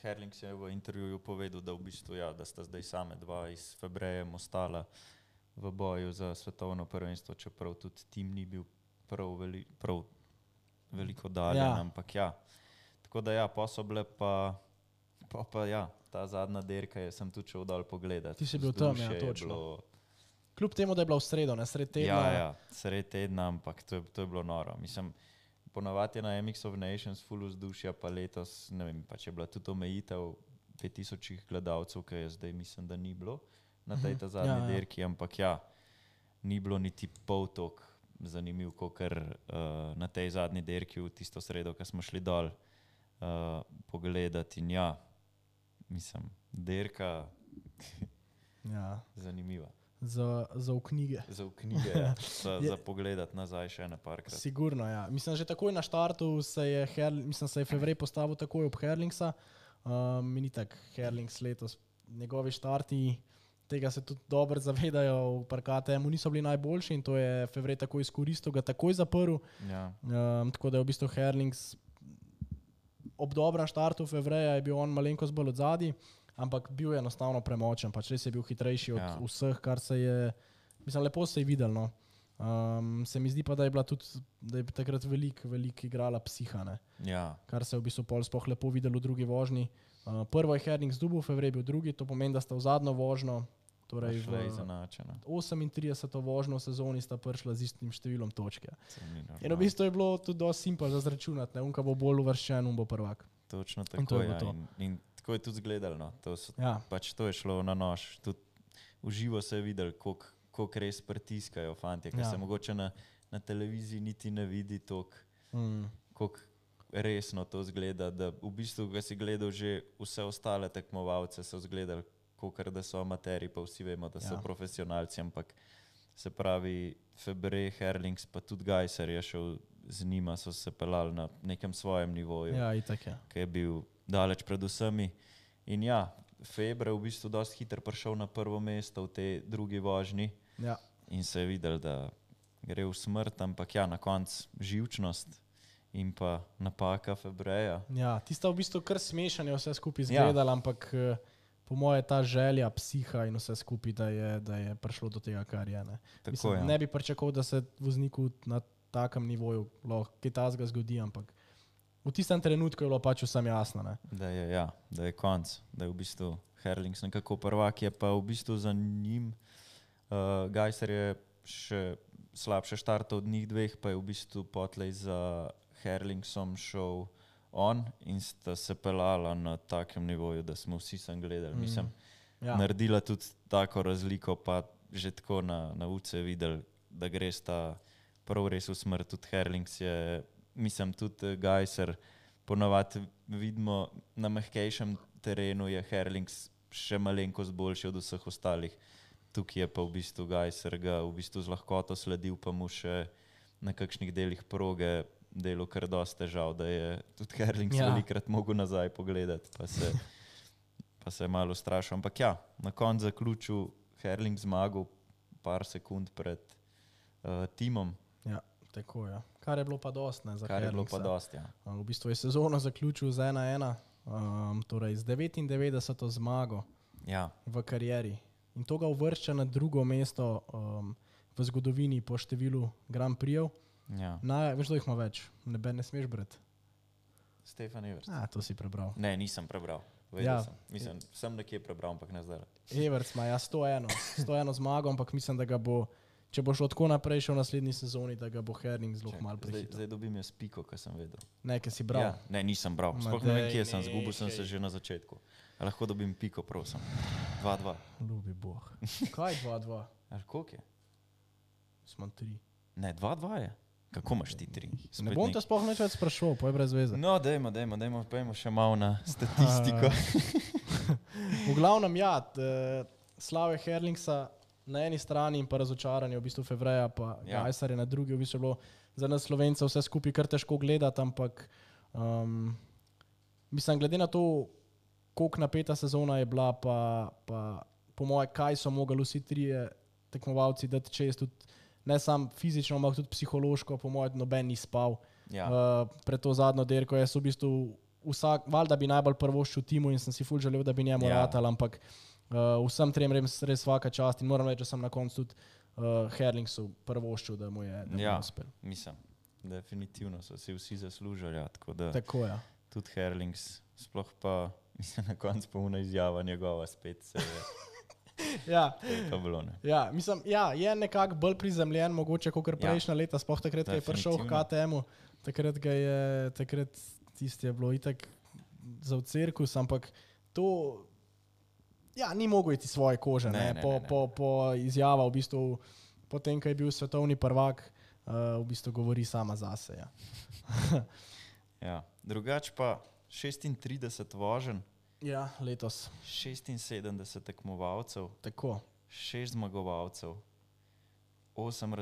Herlings je v intervjuju povedal, da v bistvu da sta zdaj same 2 iz Febrejem ostala v boju za svetovno prvenstvo, čeprav tudi tim ni bil prav veliko dalje, ampak ja. Tako da ja, pa so bile pa ja, ta zadnja derka sem tudi šel dol pogledat. Ti si bil tam, ja, točno. Kljub temu, da je bila v sredo, ne, sred tedna. Ja, sred tedna, ampak to je bilo noro. Mislim, ponavadi je na MX of Nations full vzdušja, pa letos, ne vem, pa če je bila tudi omejitev 5000 gledalcev, ki je zdaj mislim, da ni bilo na tej ta zadnji derki, ampak ja, ni bilo niti pol tok zanimiv, kakor na tej zadnji derki v tisto sredo, ko smo šli dol pogledati in ja, mislim, derka zanimiva. Za v knjige. Za v knjige, ja. Za pogledat nazaj še ene parkrat. Sigurno, ja. Mislim, že takoj na štartu se je Fevrej postavil takoj ob Herlingsa. Ni tak Herlings letos. Njegovi štarti, tega se tudi dobro zavedajo, v parkatemu niso bili najboljši in to je Fevrej takoj izkoristil, ga takoj zaprl. Ja. Tako da je v bistvu Herlings ob dobrem štartu Fevreja je bil on malenkost bolj odzadi. Ampak bil je enostavno premočen, pač res je bil hitrejši od vseh, kar se je, mislim, lepo se je videl, no. Se mi zdi pa, da je bila tudi, da je takrat veliko igrala psiha, ne. Ja. Kar se je v bistvu pol sploh lepo videl v drugi vožnji. Prvo je Herlings dobil, Fevrej bil drugi, to pomeni, da sta v zadnjo vožnjo, torej v 38. vožnjo v sezoni sta prišla z istim številom točke. In v bistvu je bilo tudi dosti simpel za zračunati, ne, unka bo bolj uvrščen, bo prvak. Točno tako, ja. In tako je tudi zgledalo, no. Pač to je šlo na nož. Tudi v živo se je videl, koliko res pritiskajo fantje, ker se mogoče na televiziji niti ne vidi toliko, koliko resno to zgleda, da v bistvu, ko si gledal že vse ostale tekmovalce, so zgledali, kolikor da so amateri, pa vsi vemo, da so profesionalci, ampak se pravi Febrej, Herlings, pa tudi Gajser je šel z njima, so se pelali na nekem svojem nivoju, ki je bil daleč pred vsemi. In ja, Febre v bistvu dosti hitro prišel na prvo mesto v tej drugi vožnji in se je videl, da gre v smrt, ampak ja, na koncu živčnost in pa napaka Febreja. Ja, tista v bistvu kar smešanje vse skupaj izgledala, ampak po moje ta želja, psiha in vse skupaj, da je prišlo do tega, kar je. Ne, mislim, ne bi pričakoval, da se vozniku na takem nivoju lahko kaj takega zgodi, ampak v tistem trenutku je bilo pač vsem jasno. Ne? Da je konc, da je v bistvu Herlings nekako prvak, je pa v bistvu za njim. Gajser je še slabše štartov od njih dveh, pa je v bistvu potlej za Herlingsom šel on in sta se pelala na takem nivoju, da smo vsi sem gledali. Mislim, naredila tudi tako razliko, pa že tako na uce videli, da gre sta prav res v smrt. Tudi Herlings je, mislim, tudi Gajser, ponavadi vidimo na mehkejšem terenu je Herlings še malenkost boljši od vseh ostalih. Tukaj je pa v bistvu Gajser ga v bistvu z lahkoto sledil, pa mu še na kakšnih delih proge delo kar dosti težav, da je tudi Herlings velikrat mogel nazaj pogledati, pa se je malo strašil. Ampak ja, na koncu zaključil Herlings zmagal par sekund pred timom. Ja, tako je. Kar je bilo pa dosti, ne, za Herlingsa. Kar je bilo pa dosti, ja. V bistvu je sezono zaključil z 1-1, torej z 99. zmago v karieri. In to ga uvršča na drugo mesto v zgodovini po številu Grand Prix'ev. Ja. Veš, da jih ima več? Ne smeš brati. Stefan Everts. To si prebral. Ne, nisem prebral. Sem. Mislim, sem nekje prebral, ampak ne zdaj. Everts ima 101 zmago, ampak mislim, da ga bo, če bo šlo tako naprej še v naslednji sezoni, da ga bo Herlings zelo malo prehitel. Zdaj dobim jaz piko, kar sem vedel. Ne, ker si bral. Ja, ne, nisem bral. Sploh ne vem, kje sem. Zgubil sem se že na začetku. A lahko dobim piko, prosim. 2-2. Ljubi Bog. Kaj 2-2? Koliko je? Smo 3. Ne, 2-2 je. Kako imaš ti 3? Ne bom te sploh neč več sprašal, pa je brez veze. No, dajmo, pojmo še malo na statistiko. V glavnem, ja, slave Herlingsa na eni strani in pa razočaranje v bistvu Fevreja, pa Gajser je na drugi, v bistvu je bilo za nas Slovencev vse skupaj kar težko gledati, ampak mislim, glede na to, koliko napeta sezona je bila, pa po moje, kaj so mogli vsi trije tekmovalci dati čez, tudi ne samo fizično, ampak tudi psihološko, po mojem, noben ni spal. Pred to zadnjo derko. Jaz v bistvu valjda bi najbolj prvoščil timu in sem si ful želel, da bi njemu ratal, ampak vsem trem res svaka čast in moram reči, da sem na koncu tudi Herlingsu prvoščil, da mu je uspel. Mislim, definitivno so si vsi zaslužili, ja, tako da Tako je. tudi Herlings, sploh pa mislim, na koncu polna izjava njegova spet se je, Ja. to je pa bilo, ne. Ja, mislim, ja, je nekako bolj prizemljen, mogoče kot prejšnja leta, sploh takrat, ko je prišel v KTM-u, takrat tisti je bilo itak za v cirkus, ampak to ja, ni mogel iti svoje kože, ne. Po izjava v bistvu, potem, ko je bil svetovni prvak, v bistvu govori sama zase. Ja. Ja, drugače pa 36 voženj, Ja, letos. 76 tekmovalcev, Tako. 6 zmagovalcev, 8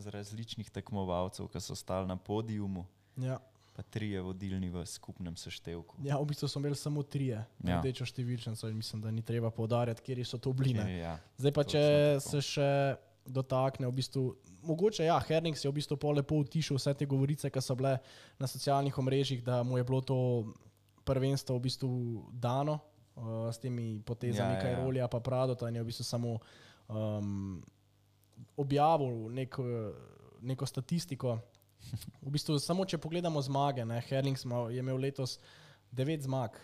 različnih tekmovalcev, ki so stali na podiumu, Ja. pa 3 vodilni v skupnem seštevku. Ja, v bistvu smo imeli samo 3 rdečo številčnico in mislim, da ni treba poudarjati, kjer so to bili. Ja, Zdaj pa, če se še dotakne v bistvu, mogoče ja, Herlings je v bistvu pol lepo utišal vse te govorice, ki so bile na socialnih omrežjih, da mu je bilo to prvenstvo v bistvu dano s temi potezami Cairolija pa Pradota in je v bistvu samo objavil neko statistiko. V bistvu samo, če pogledamo zmage, ne, Herlings je imel letos 9 zmag,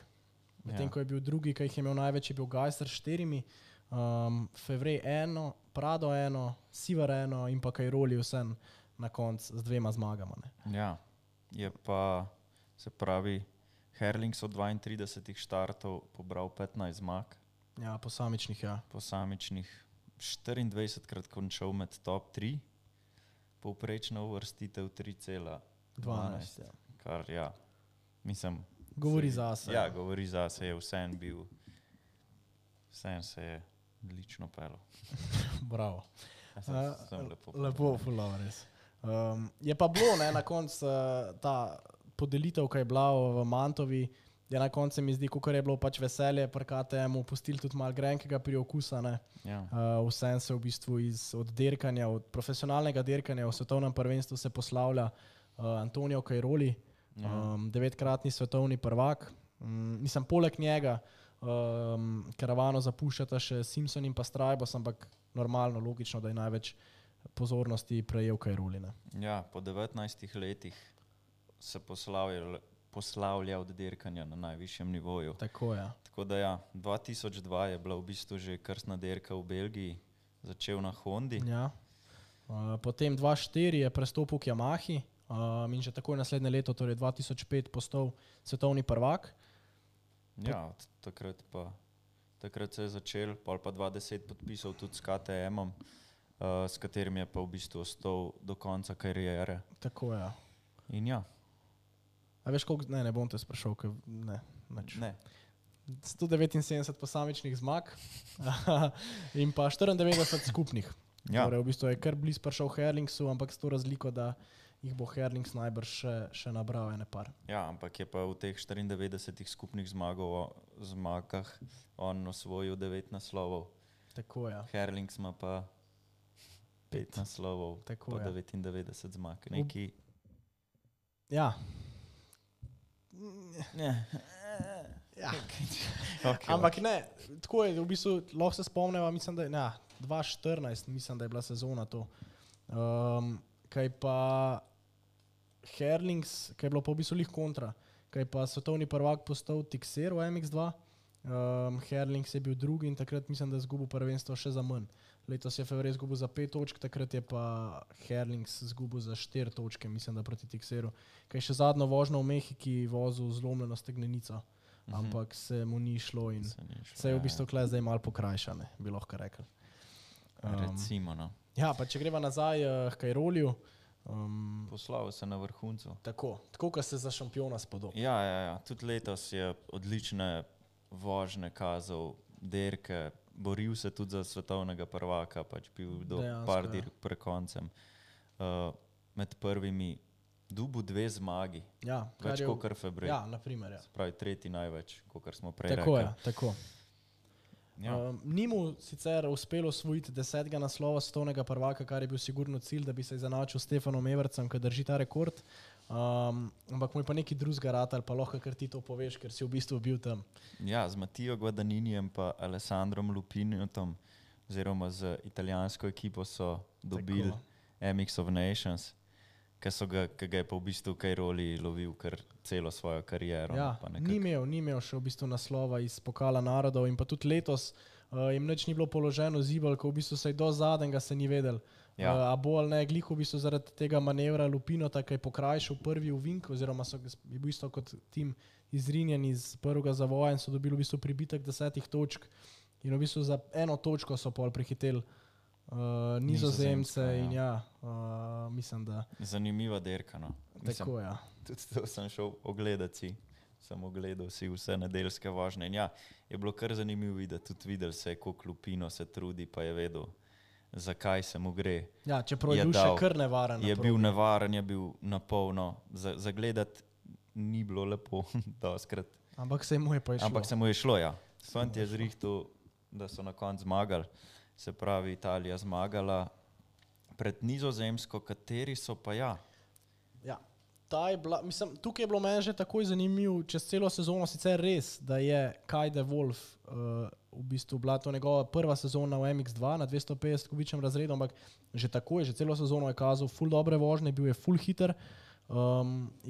medtem ko je bil drugi, ki jih je imel največ, je bil Geiser s 4, Fevrej 1, Prado 1, Sivar 1 in pa Cairoli vsem na koncu z 2 zmagama. Ne. Ja, je pa, se pravi, Herlings od 32 štartov pobral 15 zmag. Ja, posamičnih, ja. Posamičnih 24krat končal med top 3, povprečna uvrstitev 3,12. Ja. Kar, ja, mislim... Govori zase. Ja, govori zase, je vsem bil, vsem se je odlično pelo. Bravo. Sem lepo. Lepo, fulano res. Je pa bilo, ne, na koncu ta podelitev, ki je bila v Mantovi, je na koncu mi zdi, kako je bilo pač veselje, pri KTM-u pustili tudi malo grenkega priokusa. Ja. Vsem se v bistvu od dirkanja, od profesionalnega dirkanja v svetovnem prvenstvu se poslavlja Antonio Cairoli, 9-kratni svetovni prvak. Mislim, poleg njega karavano zapuščata še Simpson in pa Strajbos, ampak normalno, logično, da je največ pozornosti prejel Cairoli. Ja, po 19 letih se poslavlja od dirkanja na najvišjem nivoju. Tako je. Tako da ja, 2002 je bila v bistvu že krstna dirka v Belgiji, začel na Hondi. Ja. Potem 2004 je prestopil k Yamahi in že takoj naslednje leto, torej 2005, postal svetovni prvak. Ja, takrat se je začel, pol pa 2010 podpisal tudi s KTM-om, s katerim je pa v bistvu ostal do konca kariere. Tako je. In ja. A veš, koliko, ne bom te sprašal, ker ne. 179 posamičnih zmag in pa 94 skupnih. Ja. Torej, v bistvu je kar blizu prišel Herlingsu, ampak s to razliko, da jih bo Herlings najbrž še nabral ene par. Ja, ampak je pa v teh 94 skupnih zmagah on osvojil 9 naslovov. Tako je. Herlings ima pa 5 naslovov, Tako pa je. 99 zmag. Neki... Ja. Ja. Okay, ampak ne, tako je, v bistvu lahko se spomneva, mislim, da je 2014, mislim, da je bila sezona to. Kaj pa Herlings, kaj je bilo pa v bistvu lih kontra, kaj pa svetovni prvak postal Tixer v MX2, Herlings je bil drugi in takrat mislim, da je zgubil prvenstvo še za manj. Letos je Fevrej zgubil za 5 točk, takrat je pa Herlings zgubil za 4 točke, mislim, da proti Tixeru. Kaj še zadnjo vožnjo v Mehiki vozil zlomljeno stegnenico, ampak se mu ni šlo in se je v bistvu kle zdaj malo pokrajšane, bi lahko rekli. Recimo, no. Ja, pa če greva nazaj k Cairoliju. Poslal se na vrhuncu. Tako kot se za šampiona spodobi. Ja. Tudi letos je odlične vožnje kazal, dirke, boril se tudi za svetovnega prvaka, pač bil do par dirk pred koncem. Med prvimi dubu 2 zmagi, ja, več kot kar Febrej. Ja, naprimer. Ja. Pravi tretji največ, kot smo prej tako rekli. Tako. Ja. Ni mu sicer uspelo osvojiti 10. naslova svetovnega prvaka, kar je bil sigurno cilj, da bi se izenačil s Stefanom Evertsom, ki drži ta rekord. Ampak mu je pa neki drugega ratal, pa lahko kar ti to poveš, ker si v bistvu bil tam. Ja, z Mattijo Guadagninijem pa Alessandrom Lupinijem, oziroma z italijansko ekipo so dobili MX of Nations, ki ga je pa v bistvu Kajroli lovil kar celo svojo kariero. Ja, Pa ni imel še v bistvu naslova iz Pokala narodov in pa tudi letos jim nič ni bilo položeno zibal, ko v bistvu se je do zadnjega se ni vedel. Ja. A bo ali ne, glih v bistvu zaradi tega manevra Lupino, tako je pokrajšal prvi uvink, oziroma je bil isto kot tim izrinjen iz prvega zavoja in so dobili v bistvu pribitek 10 točk in v bistvu za 1 točko so pol prehiteli Nizozemce in mislim, da... Zanimiva derka, no. Tako, ja. Tudi to sem šel ogledati, sem ogledal si vse nedeljske vožnje in ja, je bilo kar zanimivo videti, tudi videl se je, koliko Lupino se trudi, pa je vedel, zakaj se mu gre. Ja, čeprav je bil še kar nevaren. Je bil nevaren, je bil napolno. Za gledati ni bilo lepo, doskrat. Ampak se mu je pa išlo. Ampak se mu je šlo, ja. Svant je zrihtal, da so na koncu zmagali. Se pravi, Italija zmagala pred Nizozemsko, kateri so pa ja. Ja, tukaj je bilo meni že takoj zanimivo, čez celo sezono sicer res, da je Kai de Wolf v bistvu bila to njegova prva sezona v MX2 na 250 kubičnem razredu, ampak že takoj, že celo sezono je kazal ful dobre vožnje, bil je ful hiter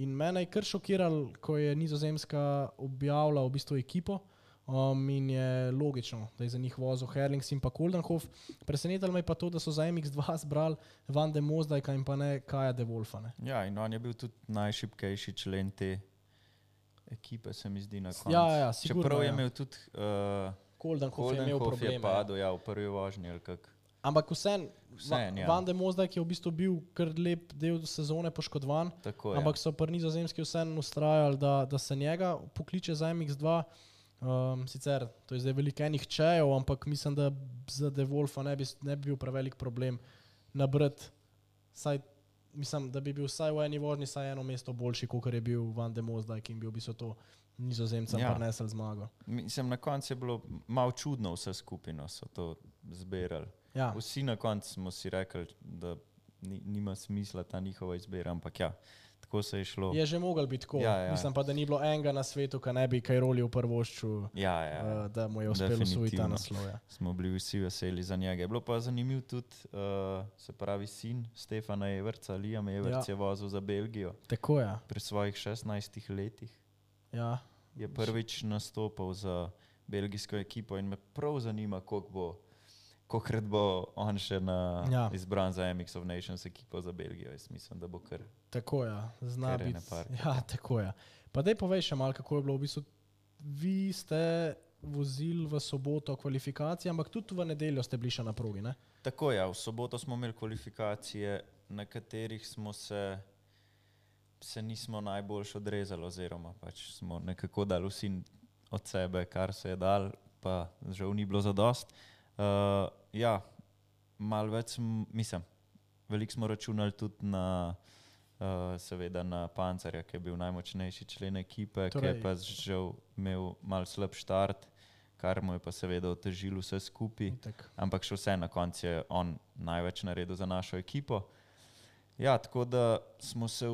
in mene je kar šokiral, ko je Nizozemska objavila v bistvu ekipo in je logično, da je za njih vozil Herlings in pa Koldenhof. Presenetilo me je pa to, da so za MX2 zbrali Van de Mozdajka in pa ne Kaja de Wolfa. Ne. Ja, in on je bil tudi najšibkejši člen te ekipe, se mi zdi na koncu. Ja, sigurno. Čeprav je imel tudi Koldenhof je imel probleme. je padel, ja, v prvi vožnji ali kak. Ampak vsem, ja. Van de Mozdajk je v bistvu bil kar lep del sezone poškodovan, Tako, ampak so pri Nizozemski vsem ustrajali, da se njega pokliče za MX2. Sicer, to je zdaj veliko enih čejev, ampak mislim, da za De Wolfa ne bi bil prevelik problem nabrati. Mislim, da bi bil vsaj v eni vožnji vsaj 1 mesto boljši, kot je bil Van de Mozdajk in bi v bistvu to Nizozemcem prinesel zmago. Mislim, na koncu je bilo malo čudno vse skupino, so to zbirali. Ja. Vsi na koncu smo si rekli, da nima smisla ta njihova izbira, ampak ja, tako se je šlo. Je že mogel biti tako. Ja. Mislim pa, da ni bilo enega na svetu, ki ne bi Kajroli v prvošču, da mu je uspelo osvojiti ta naslov. Ja. Smo bili vsi veseli za njega. Je bilo pa zanimiv tudi, se pravi, sin Stefana Everca, Liam Everc je vozil za Belgijo. Tako, ja. Pri svojih 16 letih. Ja. Je prvič nastopal za belgijsko ekipo in me prav zanima, kolikrat bo on še izbran za MX of Nations ekipo za Belgijo. Jaz mislim, da bo kar. Tako, ja. Zna biti. Ja, tako, ja. Pa daj povej še malo, kako je bilo. V bistvu, vi ste vozili v soboto kvalifikacije, ampak tudi v nedeljo ste bili še na progi, ne? Tako, ja. V soboto smo imeli kvalifikacije, na katerih se nismo najboljš odrezali, oziroma pač smo nekako dali vsi od sebe, kar se je dal, pa žal ni bilo zadost. Ja, malo več, mislim, veliko smo računali tudi na seveda na Pancerja, ki je bil najmočnejši člen ekipe, ki je pa žal imel malo slab štart, kar mu je pa seveda otežilo vse skupaj, ampak še vse na koncu je on največ naredil za našo ekipo. Ja, tako da smo se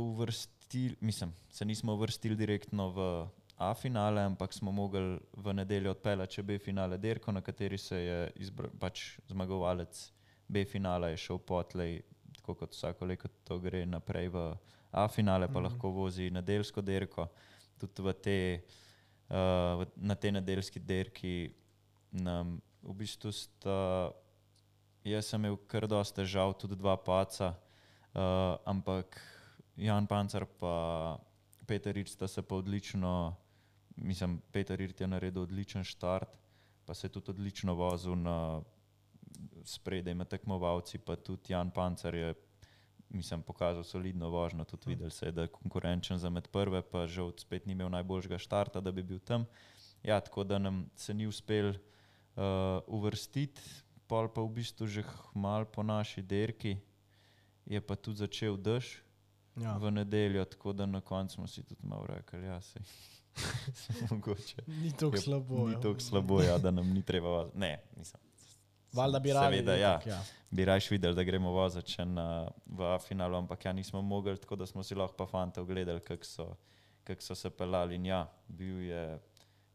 se nismo uvrstili direktno v A finale, ampak smo mogli v nedeljo odpeljati še B finale derko, na kateri se je pač zmagovalec B finala je šel potlej, tako kot vsako leto to gre naprej v A finale, pa lahko vozi nedeljsko derko. Tudi na tej nedeljski derki nam v bistvu jaz sem imel kar dosti težav, tudi 2 paca, ampak Jan Pancer pa Peter Rit sta se pa odlično, Peter Rit je naredil odličen štart, pa se je tudi odlično vozil spredaj med tekmovalci, pa tudi Jan Pancer je pokazal solidno vožnjo, tudi videl se je, da je konkurenčen za med prve, pa žal spet ni imel najboljšega štarta, da bi bil tam. Ja, tako da nam se ni uspel uvrstiti, pol pa v bistvu že malo po naši derki je pa tudi začel dež v nedeljo, tako da na koncu smo si tudi malo rekli, ja, sej mogoče. Ni toliko slabo. Ni toliko slabo, ja, da nam ni treba voziti. Ne, valjda bi radi. Seveda, ja. Bi rajš videli, da gremo voziti še v A finalu, ampak ja, nismo mogli, tako da smo si lahko pa fante ogledali, kako so se pelali. In ja,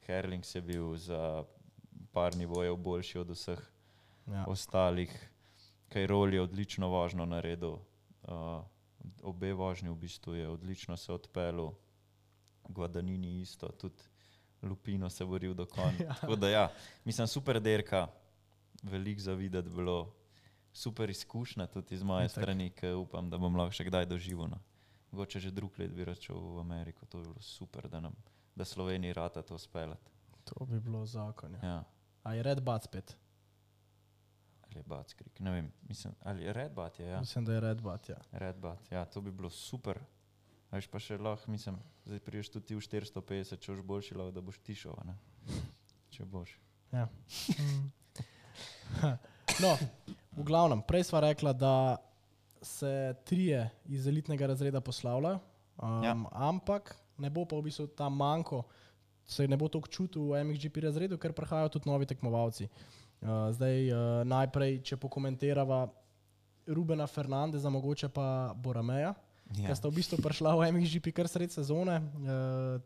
Herlings je bil za par nivojev boljši od vseh ostalih. Kajroli je odlično vožnjo naredil obe vožnji v bistvu je odlično se odpeljal, Guadagnini isto, tudi Lupino se boril do konca. Tako da ja, mislim, super derka, veliko za videti bilo, super izkušnja tudi iz moje strani, ki upam, da bom lahko še kdaj doživel. No. Mogoče že drug let bi račel v Ameriko, to bi bilo super, da Sloveniji rata to speljati. To bi bilo zakon. Ja. A je Red Bat spet? Ali je Bats Creek, ne vem, mislim, ali je Red Bat je, ja. Mislim, da je Red Bat, ja. Red Bat, ja, to bi bilo super. Veš pa še lahko, mislim, zdaj priješ tudi ti v 450, če boš boljši lahko, da boš tišel, ne? Če boš. Ja. No, v glavnem, prej sva rekla, da se trije iz elitnega razreda poslavljajo, ampak ne bo pa v bistvu ta manko, se ne bo toliko čutil v MXGP razredu, ker prihajajo tudi novi tekmovalci. Zdaj najprej, če pokomentirava Rubena Fernandeza, mogoče pa Borameja, ki sta v bistvu prišla v MXGP kar sred sezone.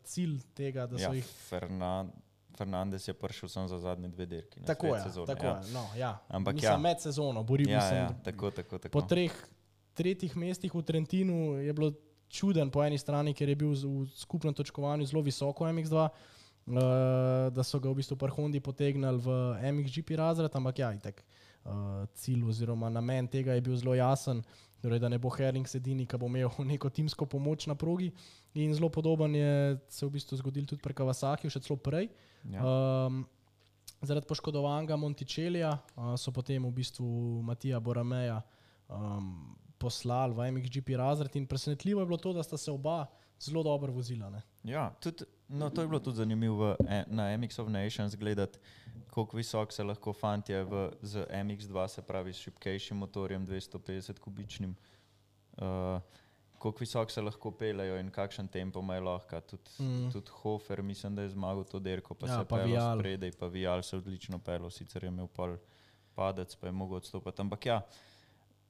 Cilj tega, da so jih... Fernandez je prišel sem za zadnje 2 dirki. Tako je, sezone, tako je. No, ja. Ampak mislim, med sezono, boril sem. Ja, tako. Po tretjih mestih v Trentinu je bilo čuden po eni strani, ker je bil v skupnem točkovanju zelo visoko MX2, da so ga v bistvu pri Hondi potegnali v MXGP razred, ampak ja, itak cilj oziroma namen tega je bil zelo jasen, torej, da ne bo Herlings edini, ki bo imel neko timsko pomoč na progi, in zelo podoben je se v bistvu zgodil tudi pri Kawasakiju, še celo prej. Ja. Zaradi poškodovanega Monticellija so potem v bistvu Matija Borameja poslali v MXGP razred in presenetljivo je bilo to, da sta se oba zelo dobro vozila. Ne? Ja, tudi, no, to je bilo tudi zanimivo na MX of Nations gledati, koliko visok se lahko fantje z MX2, se pravi s šibkejšim motorjem 250 kubičnim, koliko visok se lahko peljajo in kakšen tempo imajo lahko. Tudi Hofer, mislim, da je zmagal to derko, pa se pelil spredaj, pa Vial se odlično pelil, sicer je imel pol padec, pa je mogel odstopati. Ampak ja,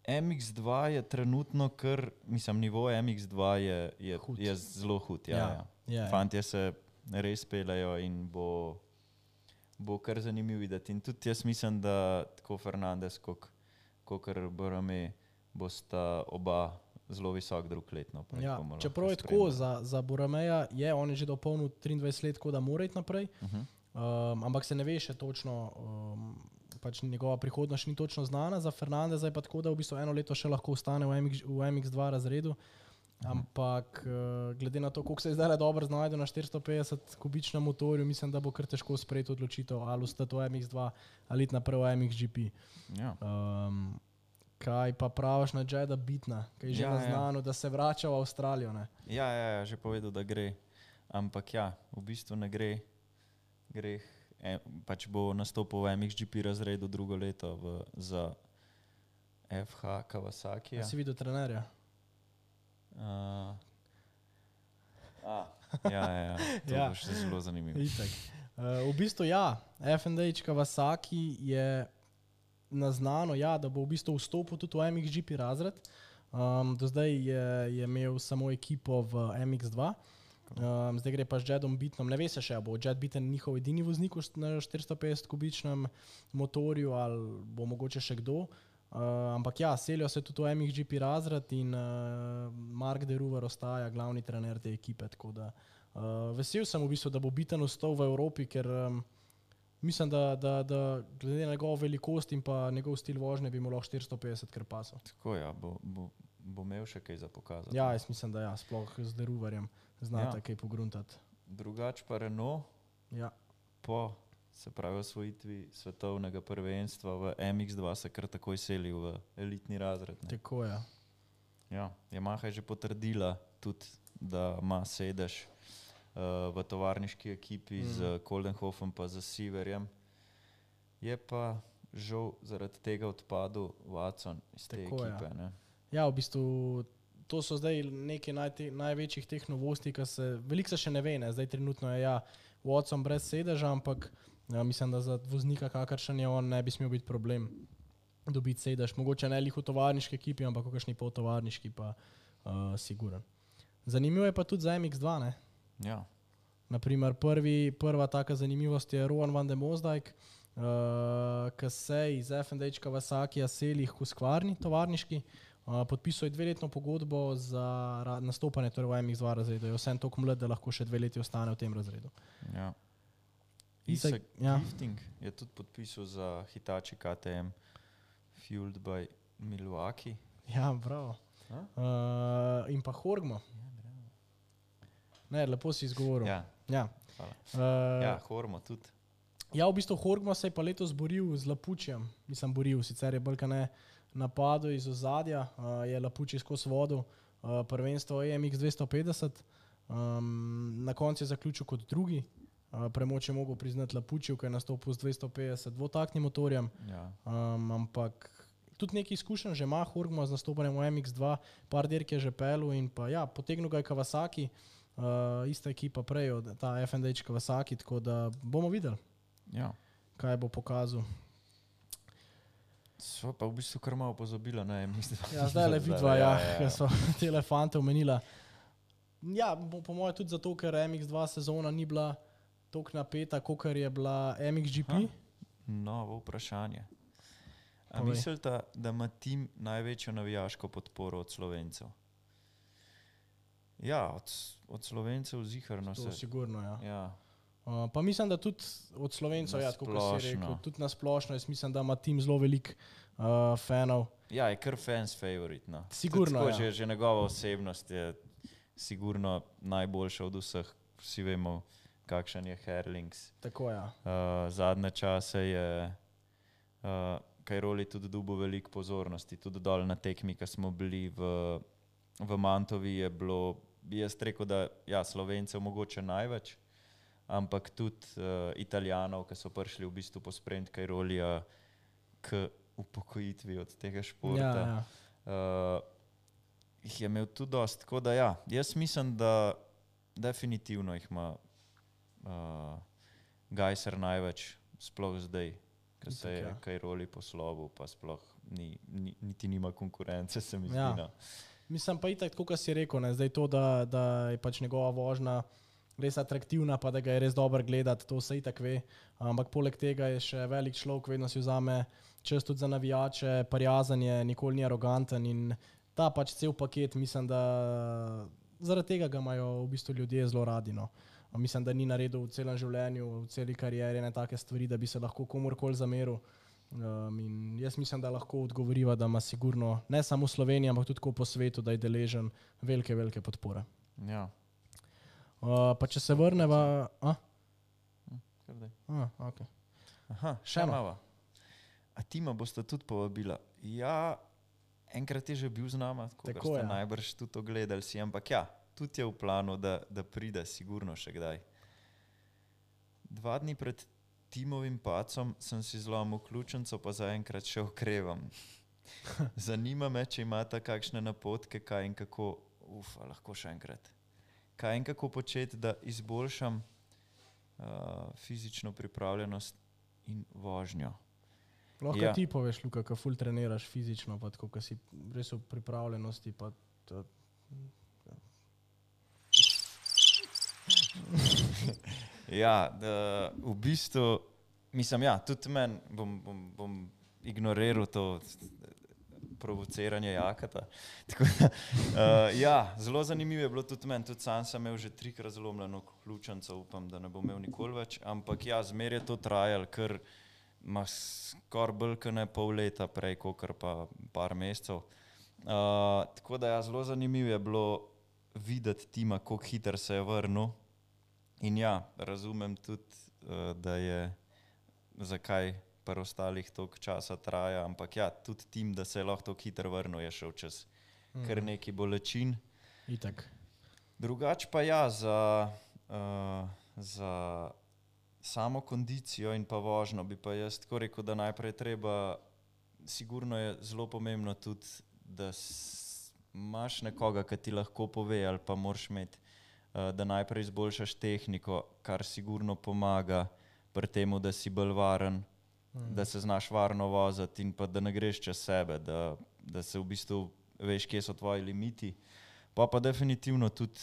MX2 je trenutno kar, mislim, nivo MX2 je zelo hud. Ja. Fantje se res peljajo in bo kar zanimiv videti. In tudi jaz mislim, da tako Fernandez, kakor Borame, bosta oba zelo visok drug letno. Ja, čeprav je tako, za Borameja je, on je že dopolnil 23 let, tako da mora iti naprej, ampak se ne ve še točno, pač njegova prihodnost ni točno znana. Za Fernandeza je pa tako, da v bistvu 1 leto še lahko ostane v MX2 razredu, ampak glede na to, koliko se je zdaj dobro znajde na 450 kubičnem motorju, mislim, da bo kar težko sprejeti odločitev, ali ostati v MX2 ali iti naprej v MXGP. Ja. Kaj pa praviš na Jeda Bitna, ki je že naznano, da se vrača v Avstralijo? Ne? Ja, že povedal, da gre, ampak ja, v bistvu ne gre. Pač bo nastopil v MXGP razredu drugo leto za FH Kawasaki. Si videl trenerja? To bo še zelo zanimivo. V bistvu ja, FNDH Kawasaki je naznano, da bo v bistvu vstopil tudi v MXGP razred. Do zdaj je imel samo ekipo v MX2. Zdaj gre pa z Jedom Bitnom, ne ve se še, bo Jed Biten njihov edini voznik na 450 kubičnem motorju ali bo mogoče še kdo, ampak ja, selijo se tudi v MXGP razred in Mark de Ruver ostaja glavni trener te ekipe, tako da vesel sem v bistvu, da bo Biten ostal v Evropi, ker mislim, da glede na njegovo velikost in pa njegov stil vožnje bi mu lahko 450 kar pasal. Tako ja, bo imel še kaj za pokazati. Ja, jaz mislim, da ja, sploh z de Ruverjem znate kaj pogruntati. Drugač pa Renault, po, se pravi, osvojitvi svetovnega prvenstva v MX2 se kar takoj selil v elitni razred. Ne? Tako je. Ja, Yamaha je že potrdila tudi, da ima sedež v tovarniški ekipi z Koldenhofom pa z Sieverjem. Je pa žal zaradi tega odpadel Watson iz te ekipe. Ne? Ja, v bistvu to so zdaj neke največjih teh novosti, ki veliko se še ne ve, ne? Zdaj trenutno je Watson brez sedeža, ampak mislim, da za voznika, kakršen je on, ne bi smel biti problem dobiti sedež. Mogoče ne lih v tovarniški ekipi, ampak v kakšni poltovarniški pa siguren. Zanimivo je pa tudi za MX2, ne? Ja. Naprimer, prva taka zanimivost je Rowan van de Mosdijk, ki se iz FNDH Kawasakija seli v Husqvarni tovarniški. Podpisal je 2-letno pogodbo za nastopanje torej v MX2 razredu. Je vsem toliko mlad, da lahko še 2 leti ostane v tem razredu. Ja. Isaac, Gifting je tudi podpisal za Hitachi KTM Fueled by Milwaukee. Ja, bravo. In pa Horgmo. Ne, lepo si izgovoril. Ja, Hormo tudi. Ja, v bistvu Horgmo se je pa letos boril z Lapučijem. Mislim, boril, sicer je bolj ne napadel iz ozadja, je Lapuči skozi vodu, prvenstvo EMX 250. Na koncu je zaključil kot drugi. Premoč je mogel priznati Lapučiju, ki je nastopil z 250 dvotaktnim motorjem. Ja. Ampak tudi nekaj izkušenj že ima Horgmo z nastopanjem v MX2, par dirk je že pelil in pa ja, potegnil ga je Kawasaki, ista ekipa prej od ta FNDH Kawasaki, tako da bomo videli, kaj bo pokazal. Sva pa v bistvu kar malo pozabila, ne, mislim. Ja, zdaj le vidva, ker so te elefante omenila. Ja, po moje tudi zato, ker MX2 sezona ni bila toliko napeta, kakor je bila MXGP. Novo vprašanje. A mislite, da ima tim največjo navijaško podporo od Slovencev? Ja, od Slovencev ziherno se. To sigurno, ja. Ja. Pa mislim, da tudi od Slovencev, ja, tako kot si rekel, tudi nasplošno, jaz mislim, da ima tim zelo veliko fanov. Ja, je kar fans favorite, no. Sigurno, tako, že njegova osebnost je sigurno najboljša od vseh. Vsi vemo, kakšen je Herlings. Tako, ja. Zadnje čase je Cairoli tudi dobil veliko pozornosti, tudi dol na tekmi, ko smo bili v Mantovi, je bilo, jaz rekel, da ja, Slovencev mogoče največ, ampak tudi Italijanov, ki so prišli v bistvu pospremiti Cairolija k upokojitvi od tega športa. Jih je imel tudi dosti, tako da ja, jaz mislim, da definitivno jih ima Gajser največ, sploh zdaj, ko se je Cairoli poslovil, pa sploh niti nima konkurence, se mi zdi. Ja. Mislim pa itak, tako kot si rekel, ne, zdaj to, da je pač njegova vožnja res atraktivna, pa da ga je res dobro gledati, to se itak ve, ampak poleg tega je še velik človek, vedno si vzame čas tudi za navijače, prijazen je, nikoli ni aroganten in ta pač cel paket, mislim, da zaradi tega ga imajo v bistvu ljudje zelo radi, no. Mislim, da ni naredil v celem življenju, v celi karieri ne take stvari, da bi se lahko komorkoli zameril. In jaz mislim, da lahko odgovoriva, da ima sigurno ne samo v Sloveniji, ampak tudi po svetu, da je deležen velike, velike podpore. Ja. Pa če se vrneva... Okay. Aha, še malo. A tima boste tudi povabila? Ja, enkrat je že bil z nama, tako ste najbrž tudi ogledali si, ampak ja, tudi je v planu, da pride sigurno še kdaj. 2 dni pred Timovim pacom sem si zlomil ključnico, pa zaenkrat še okrevam. Zanima me, če imate kakšne napotke, kaj in kako, lahko še enkrat, kaj in kako početi, da izboljšam fizično pripravljenost in vožnjo. Lahko ti poveš, Luka, ko ful treniraš fizično, pa tako, ko si res v pripravljenosti, pa Ja, v bistvu, mislim, ja, tudi meni bom ignoriral to provociranje Jakata. Tako da, ja, zelo zanimivo je bilo tudi meni, tudi sam sem imel že 3-krat zlomljeno ključnico, upam, da ne bom imel nikoli več, ampak ja, zmer je to trajalo, ker ima skoraj bolj kot ne pol leta prej, kakor pa par mesecev. Tako da ja, zelo zanimivo je bilo videti Tima, koliko hiter se je vrnil. In ja, razumem tudi, da je zakaj pri ostalih toliko časa traja, ampak ja, tudi Tim, da se je lahko toliko hiter vrnil, je šel čez kar neki bolečin. Itak. Drugač pa ja, za samo kondicijo in pa vožnjo bi pa jaz tako rekel, da najprej treba, sigurno je zelo pomembno tudi, da imaš nekoga, ki ti lahko pove ali pa moraš imeti, da najprej izboljšaš tehniko, kar sigurno pomaga pri temu, da si bolj varen, da se znaš varno voziti in pa da ne greš čez sebe, da se v bistvu veš, kje so tvoji limiti. Pa definitivno tudi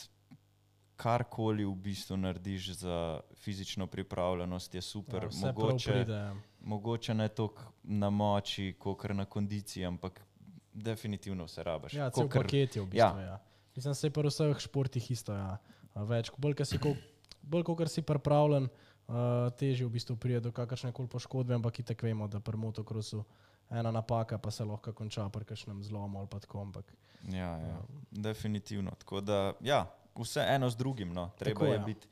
karkoli v bistvu narediš za fizično pripravljenost je super. Ja, mogoče ne toliko na moči, kakor na kondiciji, ampak definitivno se rabaš. Ja, cel paket je v bistvu, ja. Mislim, se pri vseh športih isto, ja. Več, bolj kot si pripravljen, težje v bistvu prije do kakršne koli poškodbe, ampak itak vemo, da pri motokrosu ena napaka pa se lahko konča pri kakšnem zlomu ali pa tako, ampak. Ja, definitivno. Tako da, ja, vse eno z drugim, no. Treba je biti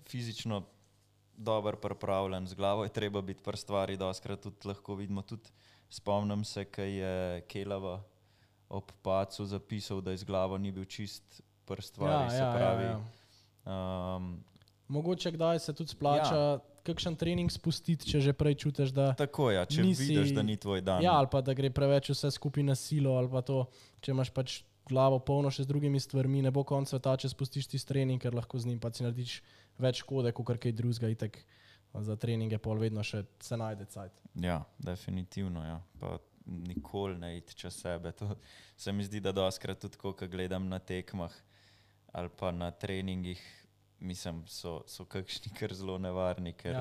fizično dober pripravljen, z glavo je treba biti pri stvari, doskrat tudi lahko vidimo, tudi spomnim se, kaj je Kelava ob pacu zapisal, da iz glavo ni bil čist pri stvari, se pravi. Mogoče kdaj se tudi splača kakšen trening spustiti, če že prej čutiš, da tako, ja, če vidiš, da ni tvoj dan. Ja, ali pa da gre preveč vse skupaj na silo, ali pa to, če imaš pač glavo polno še z drugimi stvarmi, ne bo konc sveta, če spustiš tisti trening, ker lahko z njim pa si narediš več škode, kot kaj drugega, itak za treninge pol vedno še se najde cajt. Ja, definitivno, ja. Pa nikoli ne iti čez sebe. To se mi zdi, da doskrat tudi, ko gledam na tekmah ali pa na treningih, mislim, so kakšni kar zelo nevarni, ker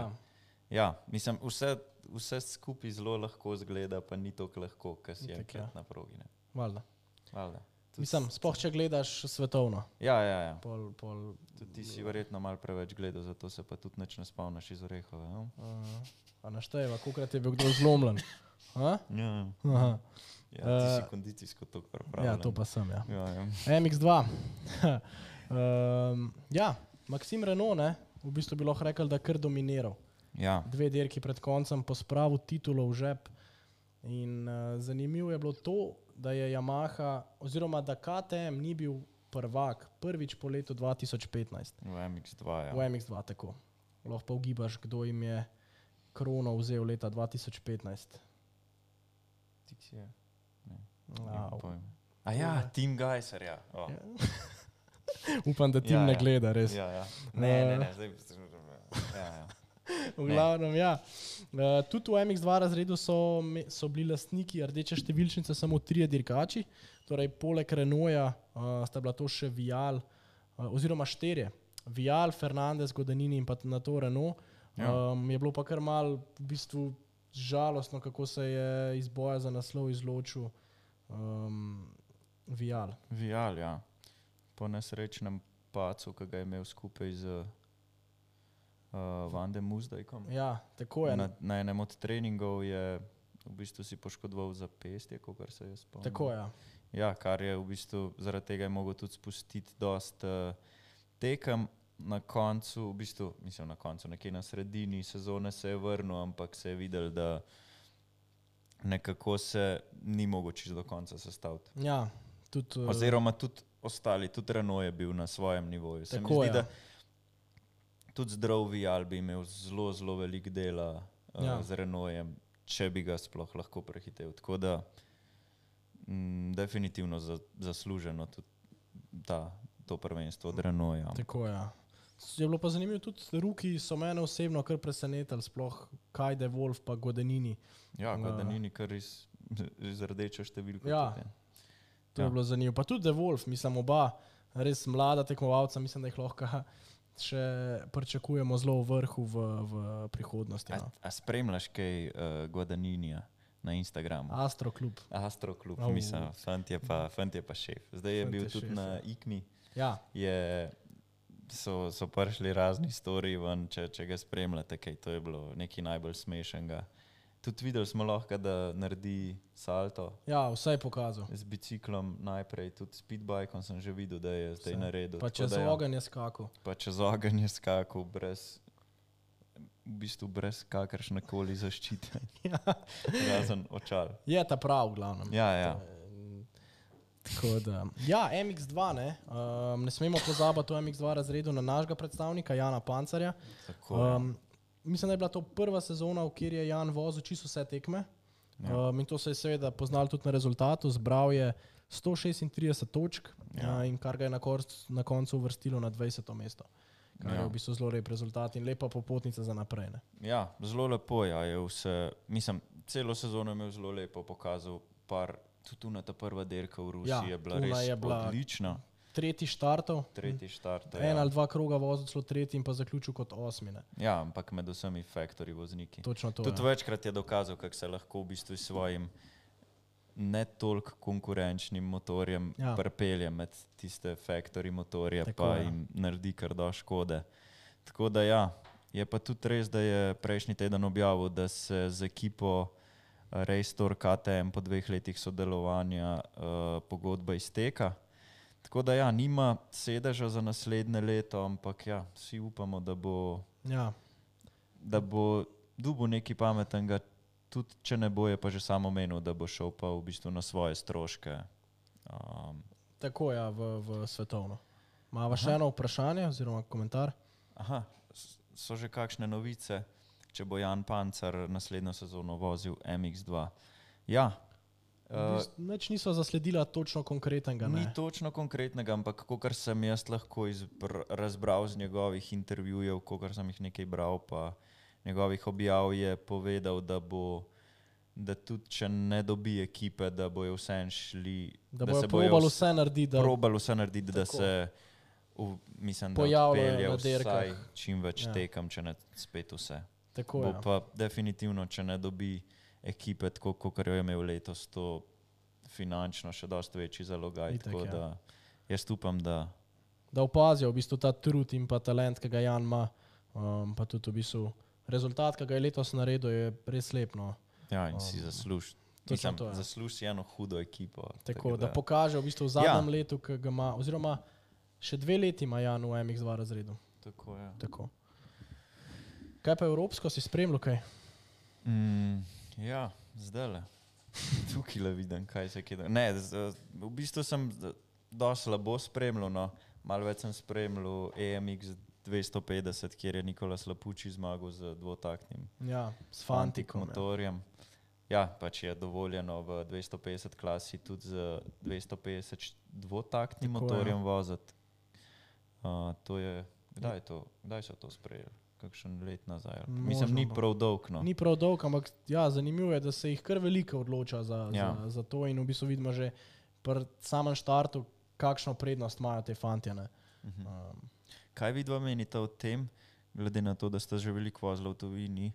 mislim, vse skupaj zelo lahko zgleda, pa ni toliko lahko, kar si enkrat na progi. Valjda. Mislim, sploh če gledaš svetovno. Ja. Tudi ti si verjetno malo preveč gledal, zato se pa tudi nič ne spomniš iz Orehove. A našteva, kolikrat je bil kdo zlomljen? Ja, ti si kondicijsko toliko pripravljen. Ja, to pa sem, ja. MX2. Maxime Renault, ne, v bistvu bi lahko rekel, da je kar dominiral. Ja. 2 dirki pred koncem pospravil titulo v žep. In zanimivo je bilo to, da je Yamaha, oziroma da KTM ni bil prvak prvič po letu 2015. V MX2, ja. V MX2, tako. Lahko pa ugibaš, kdo jim je krono vzel leta 2015. Tiksi je. Tim Geiser, ja. Upam, da Tim ne gleda, res. Ja. Ne. V glavnem, ja. Tudi v MX2 razredu so bili lastniki rdeče številčnice samo 3 dirkači, torej poleg Renaulta sta bila to še Vial, oziroma 4. Vial, Fernandez, Guadagnini in pa na to Renault. Je bilo pa kar malo v bistvu žalostno, kako se je iz boja za naslov izločil Vial. Vial, ja. Po nesrečnem pacu, ki ga je imel skupaj z Van de Muzdajkom. Ja, tako je. Na enem od treningov je v bistvu si poškodoval zapestje, kakor se je spomnil. Tako, ja. Ja, kar je v bistvu, zaradi tega je mogel tudi spustiti dost tekem. Na koncu, v bistvu, mislim na koncu, nekje na sredini sezone se je vrnil, ampak se je videl, da nekako se ni mogel čisto do konca sestaviti. Ja, tudi... Oziroma tudi ostali, tudi Renault je bil na svojem nivoju. Se tako, mi zdi, da tudi zdrav Vial bi imel zelo velik dela z Renaultem, če bi ga sploh lahko prehitel. Tako da definitivno zasluženo tudi to prvenstvo od Renaulta. Tako, ja. Je bilo pa zanimivo, tudi Ruki so mene osebno kar presenetili, sploh Kajde, Wolf pa Guadagnini. Ja, Guadagnini kar iz rdeče številke. Ja, to je bilo zanimivo. Pa tudi De Wolf, mislim, oba res mlada tekmovalca, mislim, da jih lahko še pričakujemo zelo v vrhu v prihodnosti. A spremljaš kaj Guadagninija na Instagramu? Astroklub, mislim, fant je pa šef. Zdaj je bil tudi na IKMI. Ja. So prišli razni storiji ven, če ga spremljate, kaj to je bilo nekaj najbolj smešnega. Tudi videli smo lahko, da naredi salto. Ja, vse je pokazal. Z biciklom najprej, tudi speedbikeom sem že videl, da je zdaj naredil. Pa čez ogenj je skakal. V bistvu brez kakršnekoli zaščite. Razen očal. Je ta prav, v glavnem. Ja. Tako da. Ja, MX2, ne. Ne smemo pozabiti v MX2 razredu na našega predstavnika, Jana Pancarja. Tako, mislim, da je bila to prva sezona, v kjer je Jan vozil čisto vse tekme. In to se je seveda poznal tudi na rezultatu. Zbral je 136 točk in kar ga je na koncu uvrstilo na 20. mesto. Kar je v bistvu zelo lep rezultat in lepa popotnica za naprej. Ne? Ja, zelo lepo je vse. Mislim, celo sezono je imel zelo lepo pokazal. Tudi ta prva dirka v Rusiji je bila res odlična. Tretji štartov. 1 ali 2 kroga vozil celo tretji in pa zaključil kot 8. Ja, ampak med vsemi factory vozniki. Točno to. Tudi večkrat je dokazal, kako se lahko v bistvu s svojim ne toliko konkurenčnim motorjem pripelje med tiste factory motorje, tako, pa jim naredi kar do škode. Tako da ja, je pa tudi res, da je prejšnji teden objavil, da se z ekipo Race Tour KTM po 2 letih sodelovanja pogodba izteka. Tako da ja, nima sedeža za naslednje leto, ampak ja, vsi upamo, da bo dobil nekaj pametnega, tudi če ne bo, je pa že samo menil, da bo šel pa v bistvu na svoje stroške. Tako ja, v svetovno. Mava še eno vprašanje oziroma komentar? Aha, so že kakšne novice, če bo Jan Pancar naslednjo sezono vozil MX2? Ja. Nič niso zasledila točno konkretnega, ne? Ni točno konkretnega, ampak kakor sem jaz lahko razbral z njegovih intervjujev, kakor sem jih nekaj bral, pa njegovih objav, je povedal, da tudi če ne dobi ekipe, da bojo vseeno šli, da bojo probali vse narediti, da se mislim, da pojavljajo odpelje vsaj čim več tekem, če ne spet vse. Tako, bo pa definitivno, če ne dobi ekipe, tako kot jo je imel letos, to finančno še dosti večji zalogaj. Tako da jaz upam, da opazijo v bistvu ta trud in pa talent, ki ga Jan ima, pa tudi v bistvu rezultat, ki ga je letos naredil, je res lep. No. Ja, in si zasluži. Zasluži eno hudo ekipo. Tako da pokaže v bistvu v zadnjem letu, ki ga ima, oziroma še 2 leti ima Jan v MX2 razredu. Tako, ja. Tako. Kaj pa evropsko, si spremljal kaj? Ja, zdajle. Tukaj le vidim, kaj se kje. Ne, v bistvu sem dosti slabo spremljal, no. Malo več sem spremljal EMX 250, kjer je Nikolas Lapucci zmagal z dvotaktnim Fanticom motorjem. Ja, pač je dovoljeno v 250 klasi tudi z 250 dvotaktnim motorjem voziti. To je, kdaj so to sprejeli? Kakšen let nazaj. Mislim, ni prav dolg, no. Ni prav dolg, ampak ja, zanimivo je, da se jih kar veliko odloča za to in v bistvu vidimo že pri samem štartu, kakšno prednost imajo te fantje, ne. Kaj vidva menite o tem, glede na to, da ste že veliko vozili v tujini,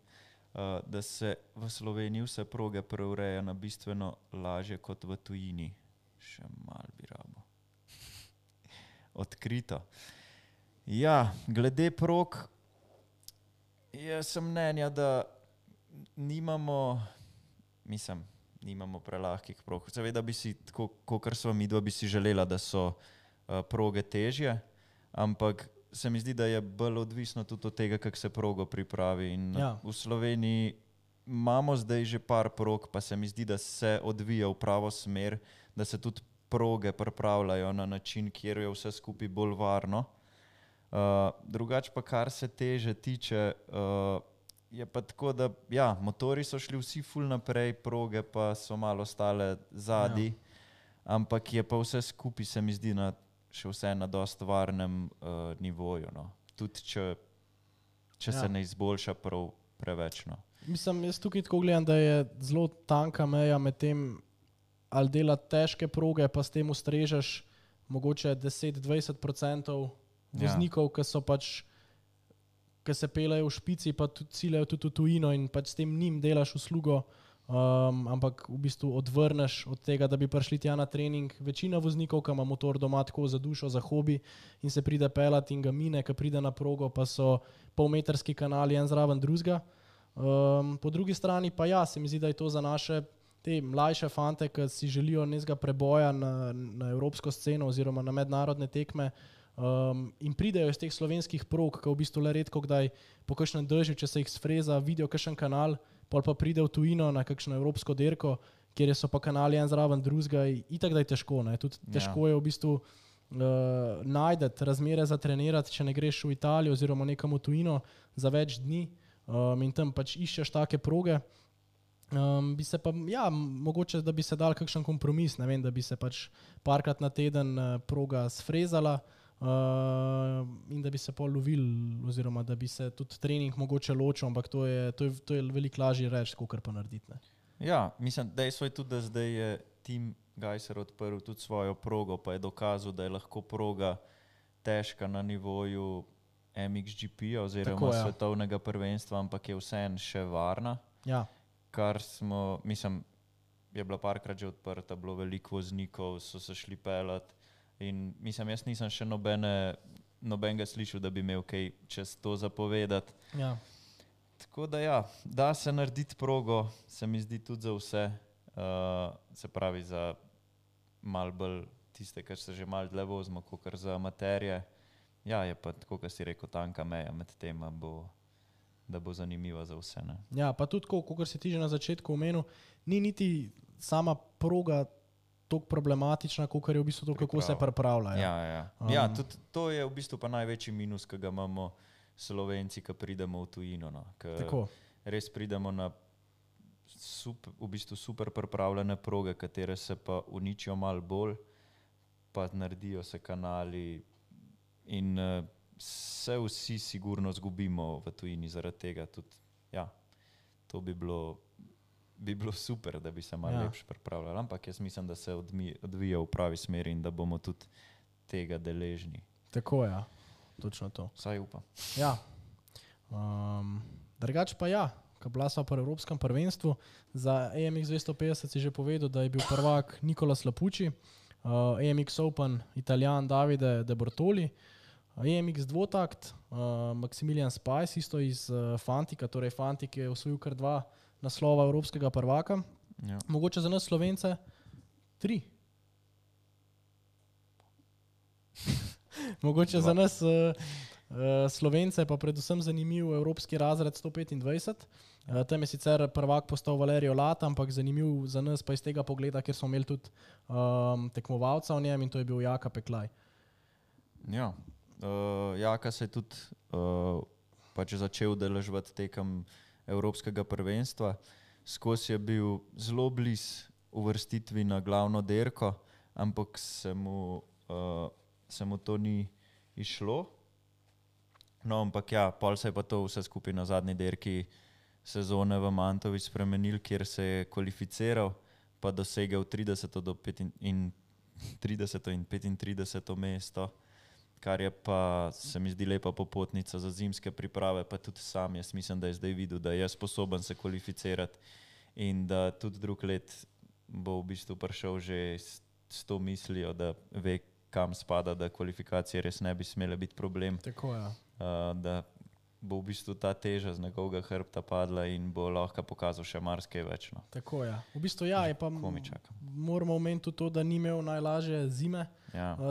da se v Sloveniji vse proge preureja na bistveno lažje kot v tujini? Še malo bi rabo. Odkrito. Ja, glede prog, jaz sem mnenja, da nimamo prelahkih prog. Seveda bi si, tako kakor sva midva, bi si želela, da so proge težje, ampak se mi zdi, da je bolj odvisno tudi od tega, kako se progo pripravi. In v Sloveniji imamo zdaj že par prog, pa se mi zdi, da se odvija v pravo smer, da se tudi proge pripravljajo na način, kjer je vse skupaj bolj varno. Drugače pa, kar se teže tiče, je pa tako, da ja, motori so šli vsi ful naprej, proge pa so malo ostale zadaj, ampak je pa vse skupaj, se mi zdi, še vse na dosti varnem nivoju. No. Tudi če se ne izboljša prav preveč. No. Mislim, jaz tukaj tako gledam, da je zelo tanka meja med tem, ali dela težke proge, pa s tem ustrežeš mogoče 10-20% voznikov, ki so pač, ki se pelejo v špici, pa tudi ciljajo tudi v tujino in pač s tem njim delaš uslugo, ampak v bistvu odvrneš od tega, da bi prišli tja na trening. Večina voznikov, ki ima motor doma tako za dušo, za hobi in se pride pelat in ga mine, ki pride na progo, pa so polmetrski kanali en zraven drugega. Po drugi strani pa ja, se mi zdi, da je to za naše te mlajše fante, ki si želijo nekega preboja na evropsko sceno oziroma na mednarodne tekme, in pridejo iz teh slovenskih prog, ki v bistvu le redko kdaj po kakšnem dežju, če se jih sfreza, vidijo kakšen kanal, pol pa pride v tujino na kakšno evropsko derko, kjer so pa kanali en zraven drugega, itak da je težko, ne. Tudi težko je v bistvu najdeti razmere za trenirati, če ne greš v Italijo oziroma nekam v tujino za več dni, in tam pač iščeš take proge. Bi se pa, ja, mogoče, da bi se dal kakšen kompromis, ne vem, da bi se pač parkrat na teden proga sfrezala, in da bi se pol lovil, oziroma da bi se tudi trening mogoče ločil, ampak to je veliko lažje reči, kakor pa narediti. Ne. Ja, mislim, dejstvo je tudi, da zdaj je Tim Gajser odprl tudi svojo progo, pa je dokazal, da je lahko proga težka na nivoju MXGP oziroma svetovnega prvenstva, ampak je vseeno še varna. Ja. Kar smo, mislim, je bila parkrat že odprta, bilo veliko voznikov, so se šli pelat in mislim, jaz nisem še nobenega slišal, da bi imel kaj čez to zapovedati. Ja. Tako da ja, da se narediti progo, se mi zdi tudi za vse, se pravi za malo bolj tiste, kar se že malo dlje vozimo, kakor za amaterje. Ja, je pa tako, kot si rekel, tanka meja med tem, da bo zanimiva za vse. Ne? Ja, pa tudi, kot si ti že na začetku omenil, ni niti sama proga tako problematična, kot je v bistvu to, kako se pripravlja. Ja, tudi to je v bistvu pa največji minus, ki ga imamo Slovenci, ki pridemo v tujino. No? Res pridemo na v bistvu super pripravljene proge, katere se pa uničijo malo bolj, pa naredijo se kanali in se vsi sigurno zgubimo v tujini zaradi tega. Tudi, ja, to bi bilo super, da bi se malo lepše pripravljali, ampak jaz mislim, da se odvija v pravi smeri in da bomo tudi tega deležni. Tako je, točno to. Vsaj upam. Ja. Drugače pa ja, ko bila sva pri Evropskem prvenstvu, za AMX 250 si že povedal, da je bil prvak Nicola Lapucci, AMX Open Italijan Davide De Bortoli, AMX dvotakt Maximilian Spice, isto iz Fantika, torej Fantik je osvojil kar 2 naslova evropskega prvaka. Ja. Mogoče za nas Slovence 3. Mogoče 2. Za nas Slovence pa predvsem zanimiv evropski razred 125. Tam je sicer prvak postal Valerio Lata, ampak zanimiv za nas pa iz tega pogleda, ker smo imeli tudi tekmovalca v njem in to je bil Jaka Peklaj. Ja, Jaka se je tudi pač začel udeleževati tekem Evropskega prvenstva. Skozi je bil zelo blizu uvrstitvi na glavno dirko, ampak se mu to ni išlo. No, ampak ja, pol se je pa to vse skupaj na zadnji dirki sezone v Mantovi spremenil, kjer se je kvalificiral, pa dosegel 30. in 35. mesto, kar je pa, se mi zdi, lepa popotnica za zimske priprave, pa tudi sam jaz mislim, da je zdaj videl, da je sposoben se kvalificirati in da tudi drug let bo v bistvu prišel že s to mislijo, da ve, kam spada, da kvalifikacije res ne bi smele biti problem. Tako je. Da bo v bistvu ta teža z njegovega hrbta padla in bo lahko pokazal še marsikaj več. No. Tako je. V bistvu ja, je pa moramo omeniti tudi to, da ni imel najlažje zime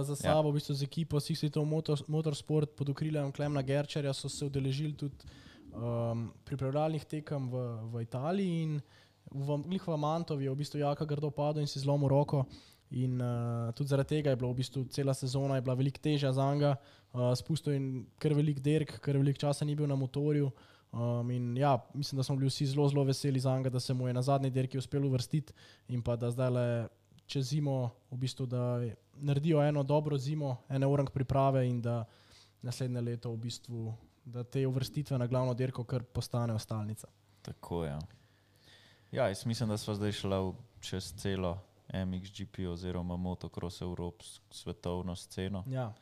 za sabo, v bistvu z ekipo Six Svetov Motorsport pod okriljem Klemna Gerčerja so se udeležili tudi pripravljalnih tekem v Italiji in v Mantovi je v bistvu Jaka grdo padel in si zlomil roko. In tudi zaradi tega je bila v bistvu cela sezona je bila veliko težja za njega, spustil in kar velik dirk, kar velik časa ni bil na motorju. In ja, mislim, da smo bili vsi zelo, zelo veseli za njega, da se mu je na zadnji dirki uspelo uvrstiti in pa da zdaj čez zimo v bistvu, da naredijo eno dobro zimo, ene orang priprave in da naslednje leto v bistvu, da te uvrstitve na glavno dirko kar postane stalnica. Tako je. Ja, jaz mislim, da sva zdaj šla čez celo MXGP oziroma motocross evropsko svetovno sceno. Ja.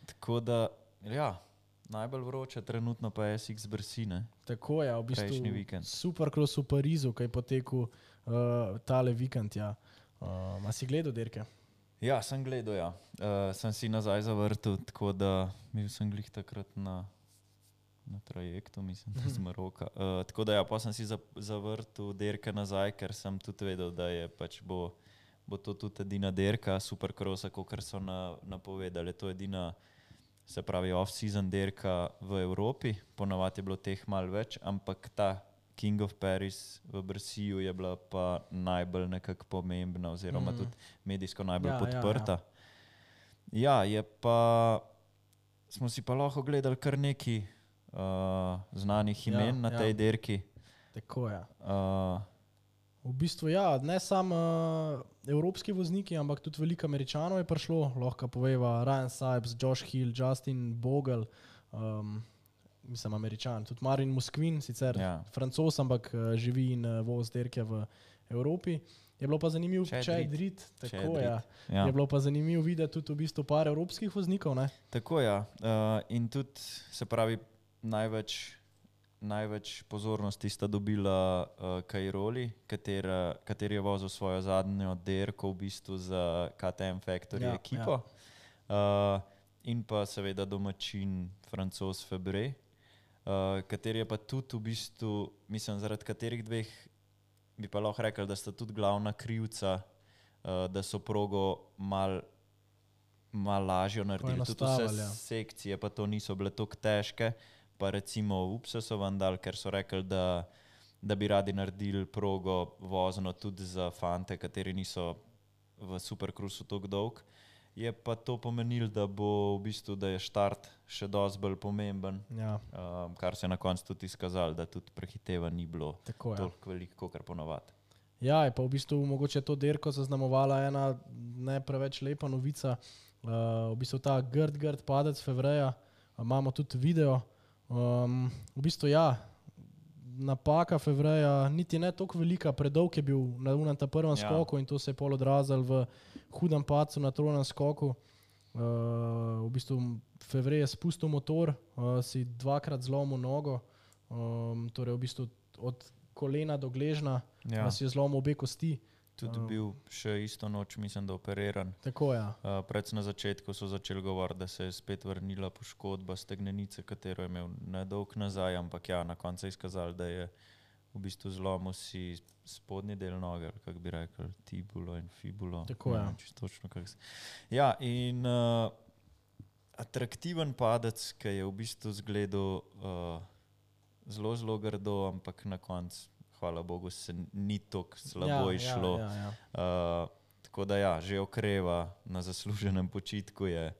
Tako da, ja, najbolj vroče trenutno pa je SX Brsine. Tako je, v bistvu prejšnji vikend. Supercross v Parizu, ki je potekel tale vikend, ja. A si gledal dirke? Ja, sem gledal, ja. Sem si nazaj zavrtel, tako da bil sem glih takrat na trajektu, mislim, da z Maroka. Tako da ja, pa sem si zavrtel dirke nazaj, ker sem tudi vedel, da je pač bo to tudi edina dirka Supercrossa, kakor so napovedali. To je edina, se pravi, off-season dirka v Evropi. Ponavadi je bilo teh malo več, ampak ta King of Paris v Brsiju je bila pa najbolj nekako pomembna oziroma tudi medijsko najbolj podprta. Ja, je pa, smo si pa lahko gledali kar neki znanih imen na tej dirki. Tako je. V bistvu ja, ne samo evropski vozniki, ampak tudi veliko Američanov je prišlo, lahko poveva Ryan Sipes, Josh Hill, Justin Bogle, mislim Američan, tudi Marin Musquin, sicer Francoz, ampak živi in voz dirke v Evropi. Je bilo pa zanimivo, Chad Reed, tako je. Je bilo pa zanimivo videti tudi v bistvu par evropskih voznikov, ne? Tako ja. In tudi, se pravi, največ največ pozornosti sta dobila Cairoli, kateri je vozil svojo zadnjo dirko v bistvu za KTM Factory ekipo. In pa seveda domačin Francoz Febre, kateri je pa tudi v bistvu, mislim, zaradi katerih dveh bi pa lahko rekel, da sta tudi glavna krivca, da so progo mal lažjo naredili. Tudi vse sekcije pa to niso bile toliko težke, pa recimo UPSA so vam dali, ker so rekli, da bi radi naredili progo vozno tudi za fante, kateri niso v Supercruisu toliko dolg. Je pa to pomenilo, da bo v bistvu, da je štart še dosti bolj pomemben, kar se je na koncu tudi izkazalo, da tudi prehiteva ni bilo toliko veliko, kot ponovadi. Ja, je pa v bistvu mogoče to dirko zaznamovala ena ne preveč lepa novica. V bistvu ta grd padec Febreja, imamo tudi video. V bistvu napaka Febreja niti ne toliko velika, predolg je bil na ta prvem skoku in to se je pol odrazilo v hudem padcu na trojnem skoku. V bistvu Febrej je spustil motor, si dvakrat zlomil nogo, torej v bistvu od kolena do gležna, si je zlomil obe kosti. Tudi bil še isto noč, mislim, da operiran. Tako, Predvsem na začetku so začeli govoriti, da se je spet vrnila poškodba stegnenice, katero je imel nedolg nazaj, ampak na koncu je izkazali, da je v bistvu zlomil si spodnji del noge, ali kako bi rekel, tibulo in fibulo. Tako, in atraktiven padec, ki je v bistvu zgledal zelo grdo, ampak na koncu hvala Bogu, se ni tako slabo išlo. Tako da že okreva, na zasluženem počitku je.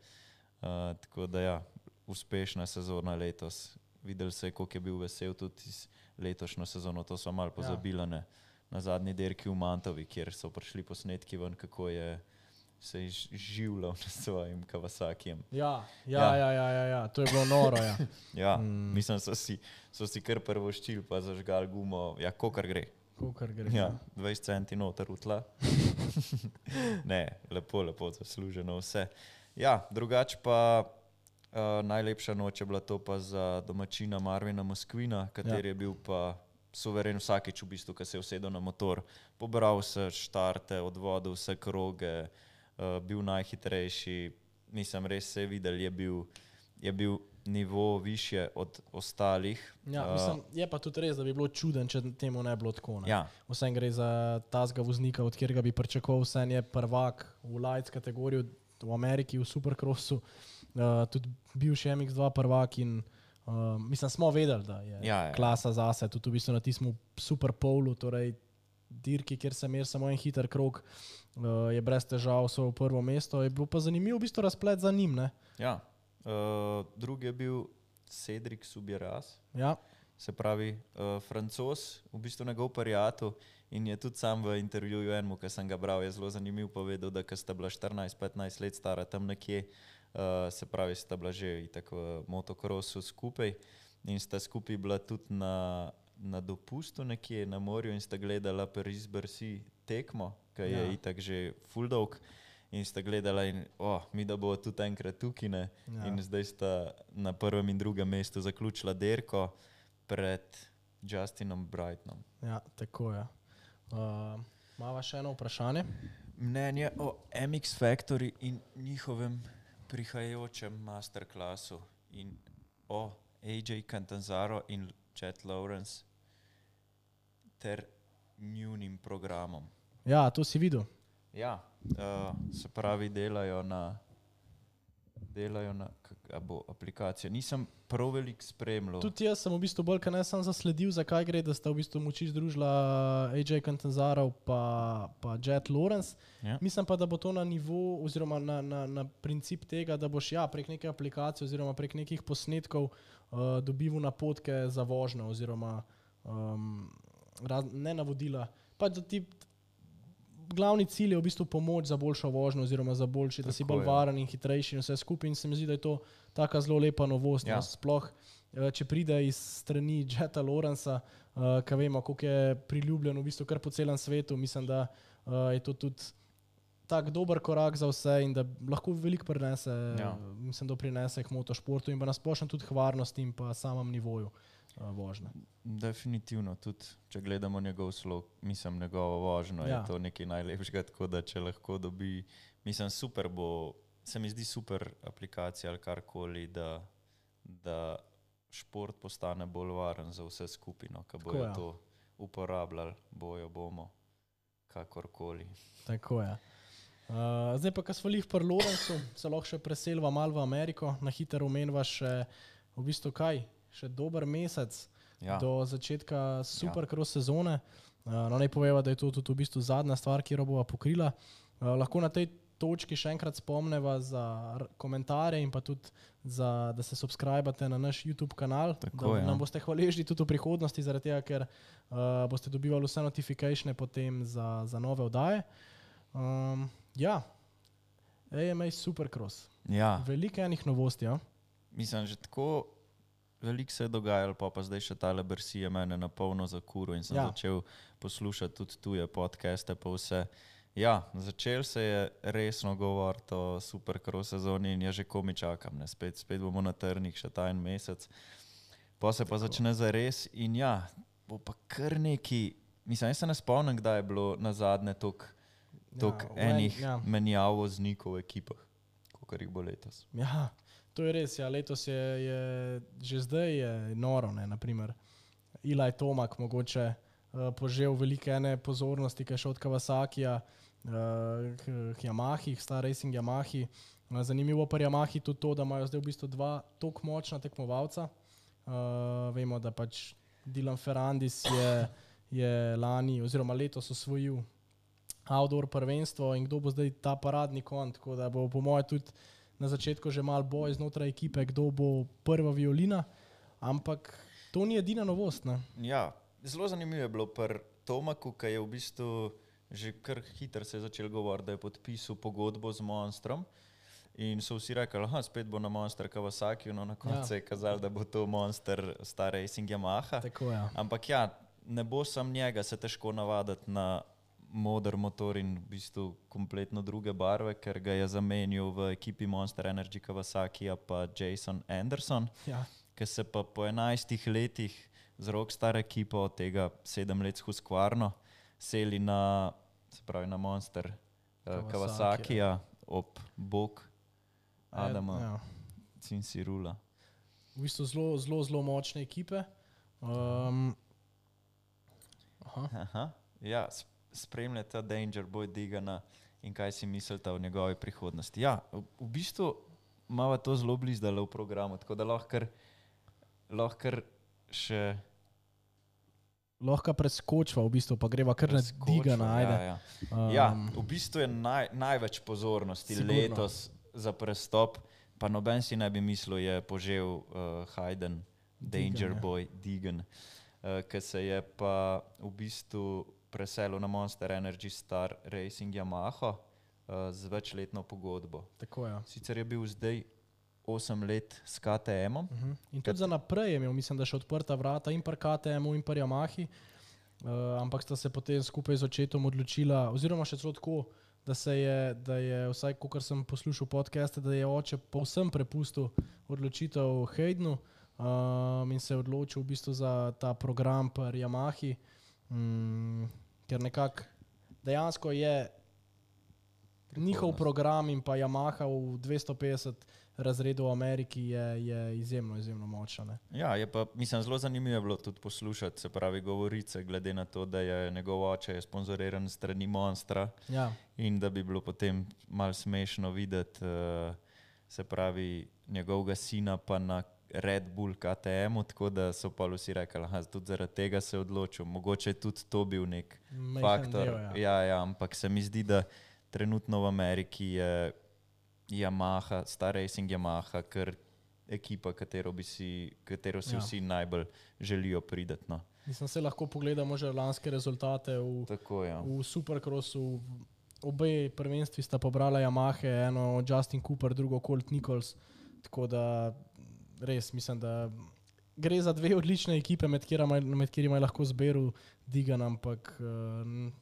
Tako da uspešna sezona letos. Videli se je, koliko je bil vesel tudi iz letošnjo sezono. To so malo pozabili na zadnji dirki v Mantovi, kjer so prišli posnetki ven, kako je se življal s svojim Kawasakijem. To je bilo noro, Mislim, so si kar prvoščili, pa zažgali gumo, kokar gre. 20 centi noter v tla. Ne, lepo zasluženo vse. Drugače pa najlepša noč je bila to pa za domačina Marvina Moskvina, kateri je bil pa suveren vsakič v bistvu, ko se je usedel na motor. Pobral vse štarte, odvodil vse kroge, bil najhitrejši, mislim, res se je videl, je bil nivo više od ostalih. Mislim, je pa tudi res, da bi bilo čuden, če temu ne bilo tako. Vsem gre za tazga voznika, od kjerega bi pričakoval, vsem je prvak v light kategoriji v Ameriki, v Supercrossu, tudi bivši MX2 prvak in mislim, smo vedeli, da je klasa zase, tudi v bistvu na tistem Superpolu, torej dirki, kjer se mer samo en hiter krog, je brez težav svoje prvo mesto. Je bilo pa zanimivo v bistvu razplet za njim, ne? Drugi je bil Cedric Subieras, se pravi Francoz, v bistvu njegov prijatelj in je tudi sam v intervjuju enemu, ki sem ga bral, je zelo zanimiv povedal, da ko sta bila 14-15 let stara tam nekje, se pravi, sta bila že itak v motokrosu skupaj in sta skupaj bila tudi na dopustu nekje na morju in sta gledala Paris-Bercy tekmo, ki je itak že full dolg in sta gledala in mi da bo tudi enkrat tukaj, ne? In zdaj sta na prvem in drugem mestu zaključila dirko pred Justinom Brightonom. Tako je. Mava še eno vprašanje? Mnenje o MX Factory in njihovem prihajajočem masterclassu in o AJ Catanzaro in Chet Lawrence ter njunim programom. To si videl. Se pravi, delajo na aplikacijo. Nisem prav veliko spremljal. Tudi jaz sem v bistvu bolj, kaj ne sem zasledil, zakaj gre, da sta v bistvu moči združila AJ Catanzaro pa Chet Lawrence. Mislim pa, da bo to na nivo oziroma na princip tega, da boš prek neke aplikacije oziroma prek nekih posnetkov dobival napotke za vožnjo oziroma ne navodila. Pa da ti glavni cilj je v bistvu pomoč za boljšo vožnjo oziroma za boljši, da si bolj varen in hitrejši in vse skupaj in se mi zdi, da je to taka zelo lepa novost. Sploh, če pride iz strani Cheta Lawrencea, ki vemo, koliko je priljubljen v bistvu kar po celem svetu, mislim, da je to tudi tak dober korak za vse in da lahko veliko prinese, mislim, da prinese k motošportu in pa nasplošno tudi k varnosti in pa samem nivoju vožnje. Definitivno, tudi če gledamo njegov slog, mislim, njegovo vožnjo, je to nekaj najlepšega, tako da če lahko dobi, mislim, super bo, se mi zdi super aplikacija ali karkoli, da šport postane bolj varen za vse skupino, ko bojo to uporabljali, bomo, kakorkoli. Tako je. Zdaj pa, ko smo lih pri Lorencu, se lahko še preselva malo v Ameriko, na hitro omenva še v bistvu kaj, še dober mesec do začetka supercross sezone. Naj poveva, da je to tudi v bistvu zadnja stvar, ki jo bova pokrila. Lahko na tej točki še enkrat spomneva za komentarje in pa tudi da se subscribate na naš YouTube kanal, tako, da nam boste hvaležni tudi v prihodnosti, zaradi tega, ker boste dobivali vse notifikatione potem za nove oddaje. AMA Supercross. Veliko enih novosti, Mislim, že tako veliko se je dogajalo, pa zdaj še tale Bersija mene na polno zakuro in sem začel poslušati tudi tuje podcaste pa vse. Začel se je resno govoriti o Supercross sezoni in že komi čakam, spet bomo na trnih še ta en mesec. Pa se pa začne zares in bo pa kar neki, mislim, jaz se ne spomnim, kdaj je bilo nazadnje toliko enih menjav voznikov v ekipah, kakor jih bo letos. To je res, letos je že zdaj je noro, naprimer Eli Tomac mogoče požel velike ene pozornosti, ki je šel od Kawasakija k Yamahi, Star Racing Yamahi. Zanimivo pri Yamahi tudi to, da imajo zdaj v bistvu dva toliko močna tekmovalca. Vemo, da pač Dylan Ferrandis je lani oziroma letos osvojil outdoor prvenstvo in kdo bo zdaj ta paradni konj, tako da bo po moje tudi na začetku že malo boj znotraj ekipe, kdo bo prva violina, ampak to ni edina novost, ne? Zelo zanimivo je bilo pri Tomacu, ki je v bistvu že kar hitro se je začel govoriti, da je podpisal pogodbo z Monstrom in so vsi rekli, spet bo na Monster Kawasaki, no na koncu se je kazalo, da bo to Monster Star Racing Yamaha. Tako, ampak ne bo sam njega se težko navaditi na moder motor in v bistvu kompletno druge barve, ker ga je zamenil v ekipi Monster Energy Kawasakija pa Jason Anderson, ki se pa po 11 letih z Rockstar ekipo, od tega 7 let s Husqvarno, seli na Monster Kawasakija ob bok Adama Cianciarula. V bistvu zelo močne ekipe. Spremljate Danger Boy Digana in kaj si mislite o njegovi prihodnosti. V bistvu imamo to zelo blizdale v programu, tako da lahko še lahko preskočva v bistvu, pa greva kar na Digana, ajde. V bistvu je največ pozornosti letos za prestop, pa noben si ne bi mislil, je požel Hayden Danger Boy Digan, ki se je pa v bistvu preselil na Monster Energy Star Racing Yamaha z večletno pogodbo. Tako, Sicer je bil zdaj 8 let s KTM-om. In tudi za naprej je imel, mislim, da še odprta vrata in pri KTM-u in pri Yamahi, ampak sta se potem skupaj z očetom odločila, oziroma še celo tako, da je vsaj, kakor sem poslušal podcaste, da je oče povsem prepustil odločitev Haydenu in se je odločil v bistvu za ta program pri Yamahi, ker nekako dejansko je njihov program in pa Yamaha v 250 razredu v Ameriki je izjemno močna. Je pa, mislim, zelo zanimivo je bilo tudi poslušati, se pravi govorice, glede na to, da je njegov oče sponzoriran strani Monstra in da bi bilo potem malo smešno videti, se pravi njegovega sina pa na Red Bull KTM-u, tako da so pa vsi rekli, tudi zaradi tega se je odločil. Mogoče je tudi to bil nek faktor. Ampak se mi zdi, da trenutno v Ameriki je Yamaha, Star Racing Yamaha, kar ekipa, katero si vsi najbolj želijo prideti. No. Mislim, se lahko pogledamo že lanske rezultate v Supercrossu. Obe prvenstvi sta pobrala Yamahe, eno Justin Cooper, drugo Colt Nichols, tako da res mislim, da gre za dve odlične ekipe, med katerima je lahko zberal Digan, ampak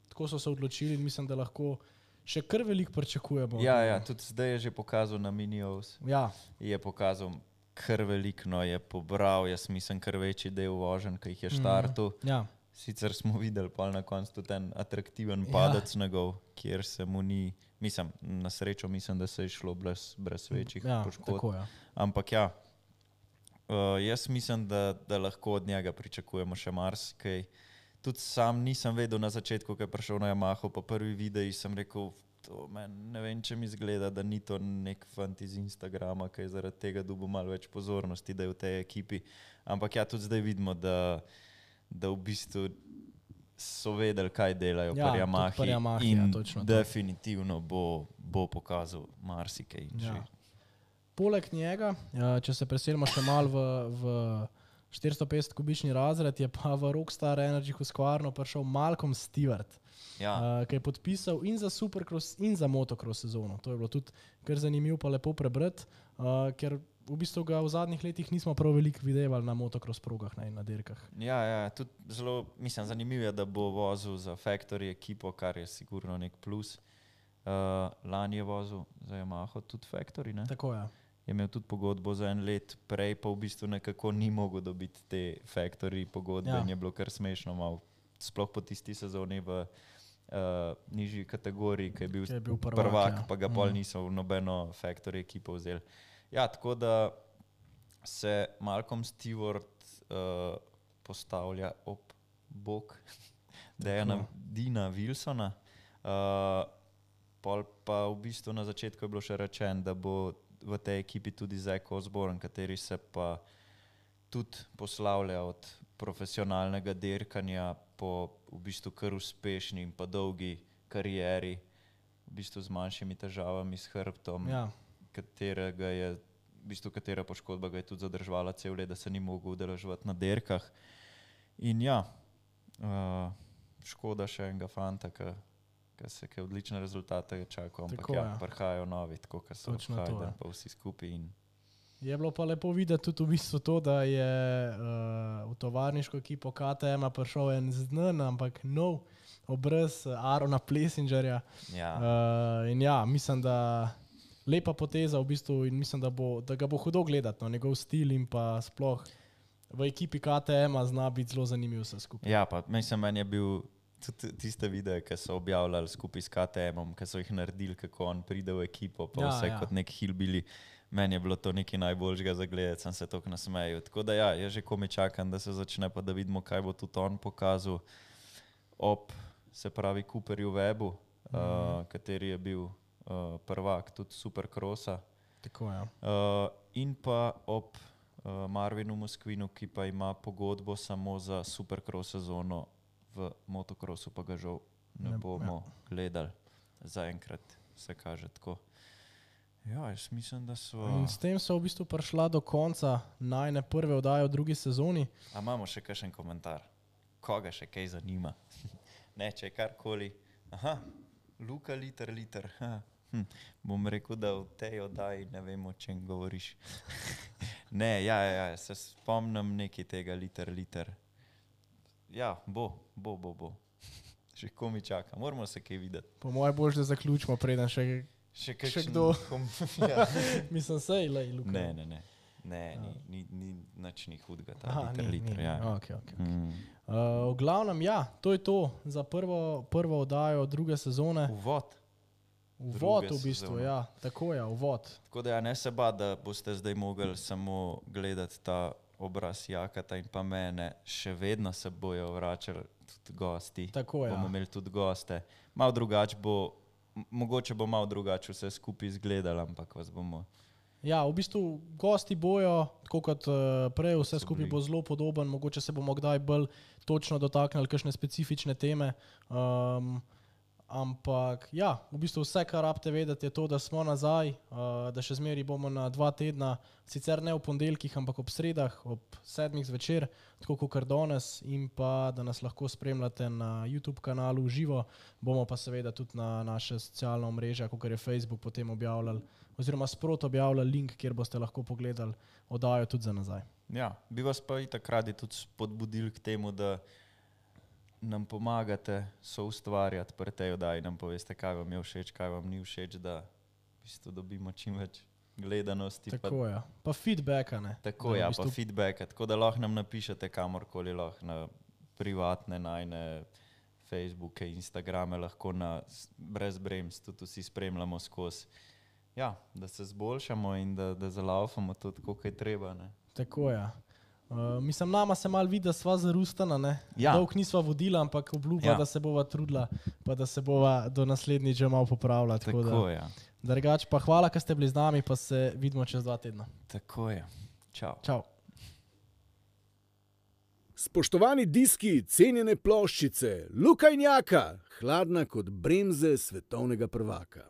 tako so se odločili in mislim, da lahko še kar veliko pričakujemo. Tudi zdaj je že pokazal na Mini-O's. Je pokazal kar veliko je pobral, jaz mislim, kar večji del voženj, ki jih je štartil. Ja. Sicer smo videli pa na koncu tudi ten atraktiven padec njegov, kjer se mu ni, mislim, na srečo mislim, da se je šlo brez večjih poškodb. Tako, ja. Ampak ja, jaz mislim, da lahko od njega pričakujemo še marsikaj. Tudi sam nisem vedel na začetku, ko je prišel na Yamaho, po prvi videi sem rekel, ne vem, če mi zgleda, da ni to nek fant iz Instagrama, ki je zaradi tega dobil malo več pozornosti, da je v tej ekipi. Ampak ja, tudi zdaj vidimo, da v bistvu so vedeli, kaj delajo pri Yamahi in definitivno bo pokazal marsikaj. Ja. Poleg njega, če se preselimo še malo v 450 kubični razred, je pa v Rockstar Energy Husqvarno prišel Malcolm Stewart, ki je podpisal in za Supercross in za motocross sezono. To je bilo tudi kar zanimivo pa lepo prebrati, ker v bistvu ga v zadnjih letih nismo prav veliko videvali na motocross progah in na dirkah. Ja, tudi zelo, mislim, zanimivo je, da bo vozil za Factory ekipo, kar je sigurno nek plus. Lani je vozil za Yamaho tudi Factory, ne? Tako je. Je imel tudi pogodbo za 1 let, prej pa v bistvu nekako ni mogel dobiti te Factory pogodbe in je bilo kar smešno malo, sploh po tisti sezoni v nižji kategoriji, ki je bil prvak, pa ga pol niso v nobeno Factory ekipo vzeli. Ja, tako da se Malcolm Stewart postavlja ob bok Dina Wilsona, pol pa v bistvu na začetku je bilo še rečeno, da bo v tej ekipi tudi Zach Osborne, kateri se pa tudi poslavlja od profesionalnega dirkanja po v bistvu kar uspešni in pa dolgi karieri, v bistvu z manjšimi težavami s hrbtom, katerega je, v bistvu katera poškodba ga je tudi zadržvala cel let, da se ni mogel udeleževati na dirkah. In ja, škoda še enega fanta, ki odlične rezultate čakajo, ampak prihajajo novi, tako kot so Hayden pa vsi skupaj. Je bilo pa lepo videti tudi v bistvu to, da je v tovarniško ekipo KTM prišel en znan, ampak nov obraz Arona Plesingerja. In ja, mislim, da lepa poteza v bistvu in mislim, da ga bo hudo gledati, no, njegov stil in pa sploh v ekipi KTM zna biti zelo zanimiv vse skupaj. Ja, pa mislim, meni je bil tudi tiste videe, ki so objavljali skupaj s KTM-om, ki so jih naredili, kako on pride v ekipo, pa vse kot nek hillbilly. Meni je bilo to nekaj najboljšega za gledati, sem se toliko nasmejal. Tako da ja, jaz že komaj čakam, da se začne, pa da vidimo, kaj bo tudi on pokazal ob, se pravi, Cooperju Webu, kateri je bil prvak tudi Supercrossa. Tako, ja. In pa ob Marvinu Moskvinu, ki pa ima pogodbo samo za Supercross sezono, v motocrossu pa ga žal ne bomo gledali. Zaenkrat se kaže tako. Ja, jaz mislim, da so... In s tem so v bistvu prišla do konca najne prve oddaje v drugi sezoni. A imamo še kakšen komentar? Koga še kaj zanima? Ne, če je karkoli. Aha, Luka liter. Bom rekel, da v tej oddaji ne vem, o čem govoriš. Ne, ja, se spomnim nekaj tega liter. Ja, bo. Še komi čaka, moramo se kaj videti. Po moje boljš, da zaključimo, preden še kdo. Mislim, sej, Luka. Ne, ni nič ni hudega, ta liter. Ja. Okay. V glavnem, ja, to je to za prvo oddajo druge sezone. Uvod v bistvu, ja, tako je, uvod. Tako da ja, ne se ba, da boste zdaj mogli samo gledati ta obraz Jakata in pa mene, še vedno se bojo vračali tudi gosti. Tako je. Bomo imeli tudi goste. Malo drugače bo, mogoče bo malo drugače vse skupaj izgledalo, ampak vas bomo... Ja, v bistvu gosti bojo, tako kot prej, vse skupaj bo zelo podoben, mogoče se bomo kdaj bolj točno dotaknili kakšne specifične teme. Ampak ja, v bistvu vse, kar rabite vedeti, je to, da smo nazaj, da še zmeri bomo na 2 tedna, sicer ne v ponedeljkih, ampak ob sredah, ob 7 zvečer, tako kot danes, in pa da nas lahko spremljate na YouTube kanalu v živo, bomo pa seveda tudi na naše socialne omrežja, kot je Facebook, potem objavljali, oziroma sprot objavljali link, kjer boste lahko pogledali oddajo tudi za nazaj. Ja, bi vas pa itak radi tudi spodbudili k temu, da nam pomagate soustvarjati pri tej oddaji, nam poveste, kaj vam je všeč, kaj vam ni všeč, da v bistvu dobimo čim več gledanosti. Tako je. Pa feedbacka, ne. Tako ja, pa feedbacka. Tako da lahko nam napišete kamorkoli, lahko na privatne najne Facebooke, Instagrame, lahko brez brems, tudi vsi spremljamo skozi. Ja, da se zboljšamo in da zalaufamo to tako, kaj treba, ne. Tako je. Mislim, nama se malo vidi, da sva zarustana, ne. Ja. Dolg nisva vodila, ampak obljuba, Ja. da se bova trudila, pa da se bova do naslednjič že malo popravila. Tako ja. Drugač pa hvala, ker ste bili z nami, pa se vidimo čez 2 tedna. Tako je. Čau. Čau. Spoštovani diski, cenjene ploščice, Luka in Jaka, hladna kot bremze svetovnega prvaka.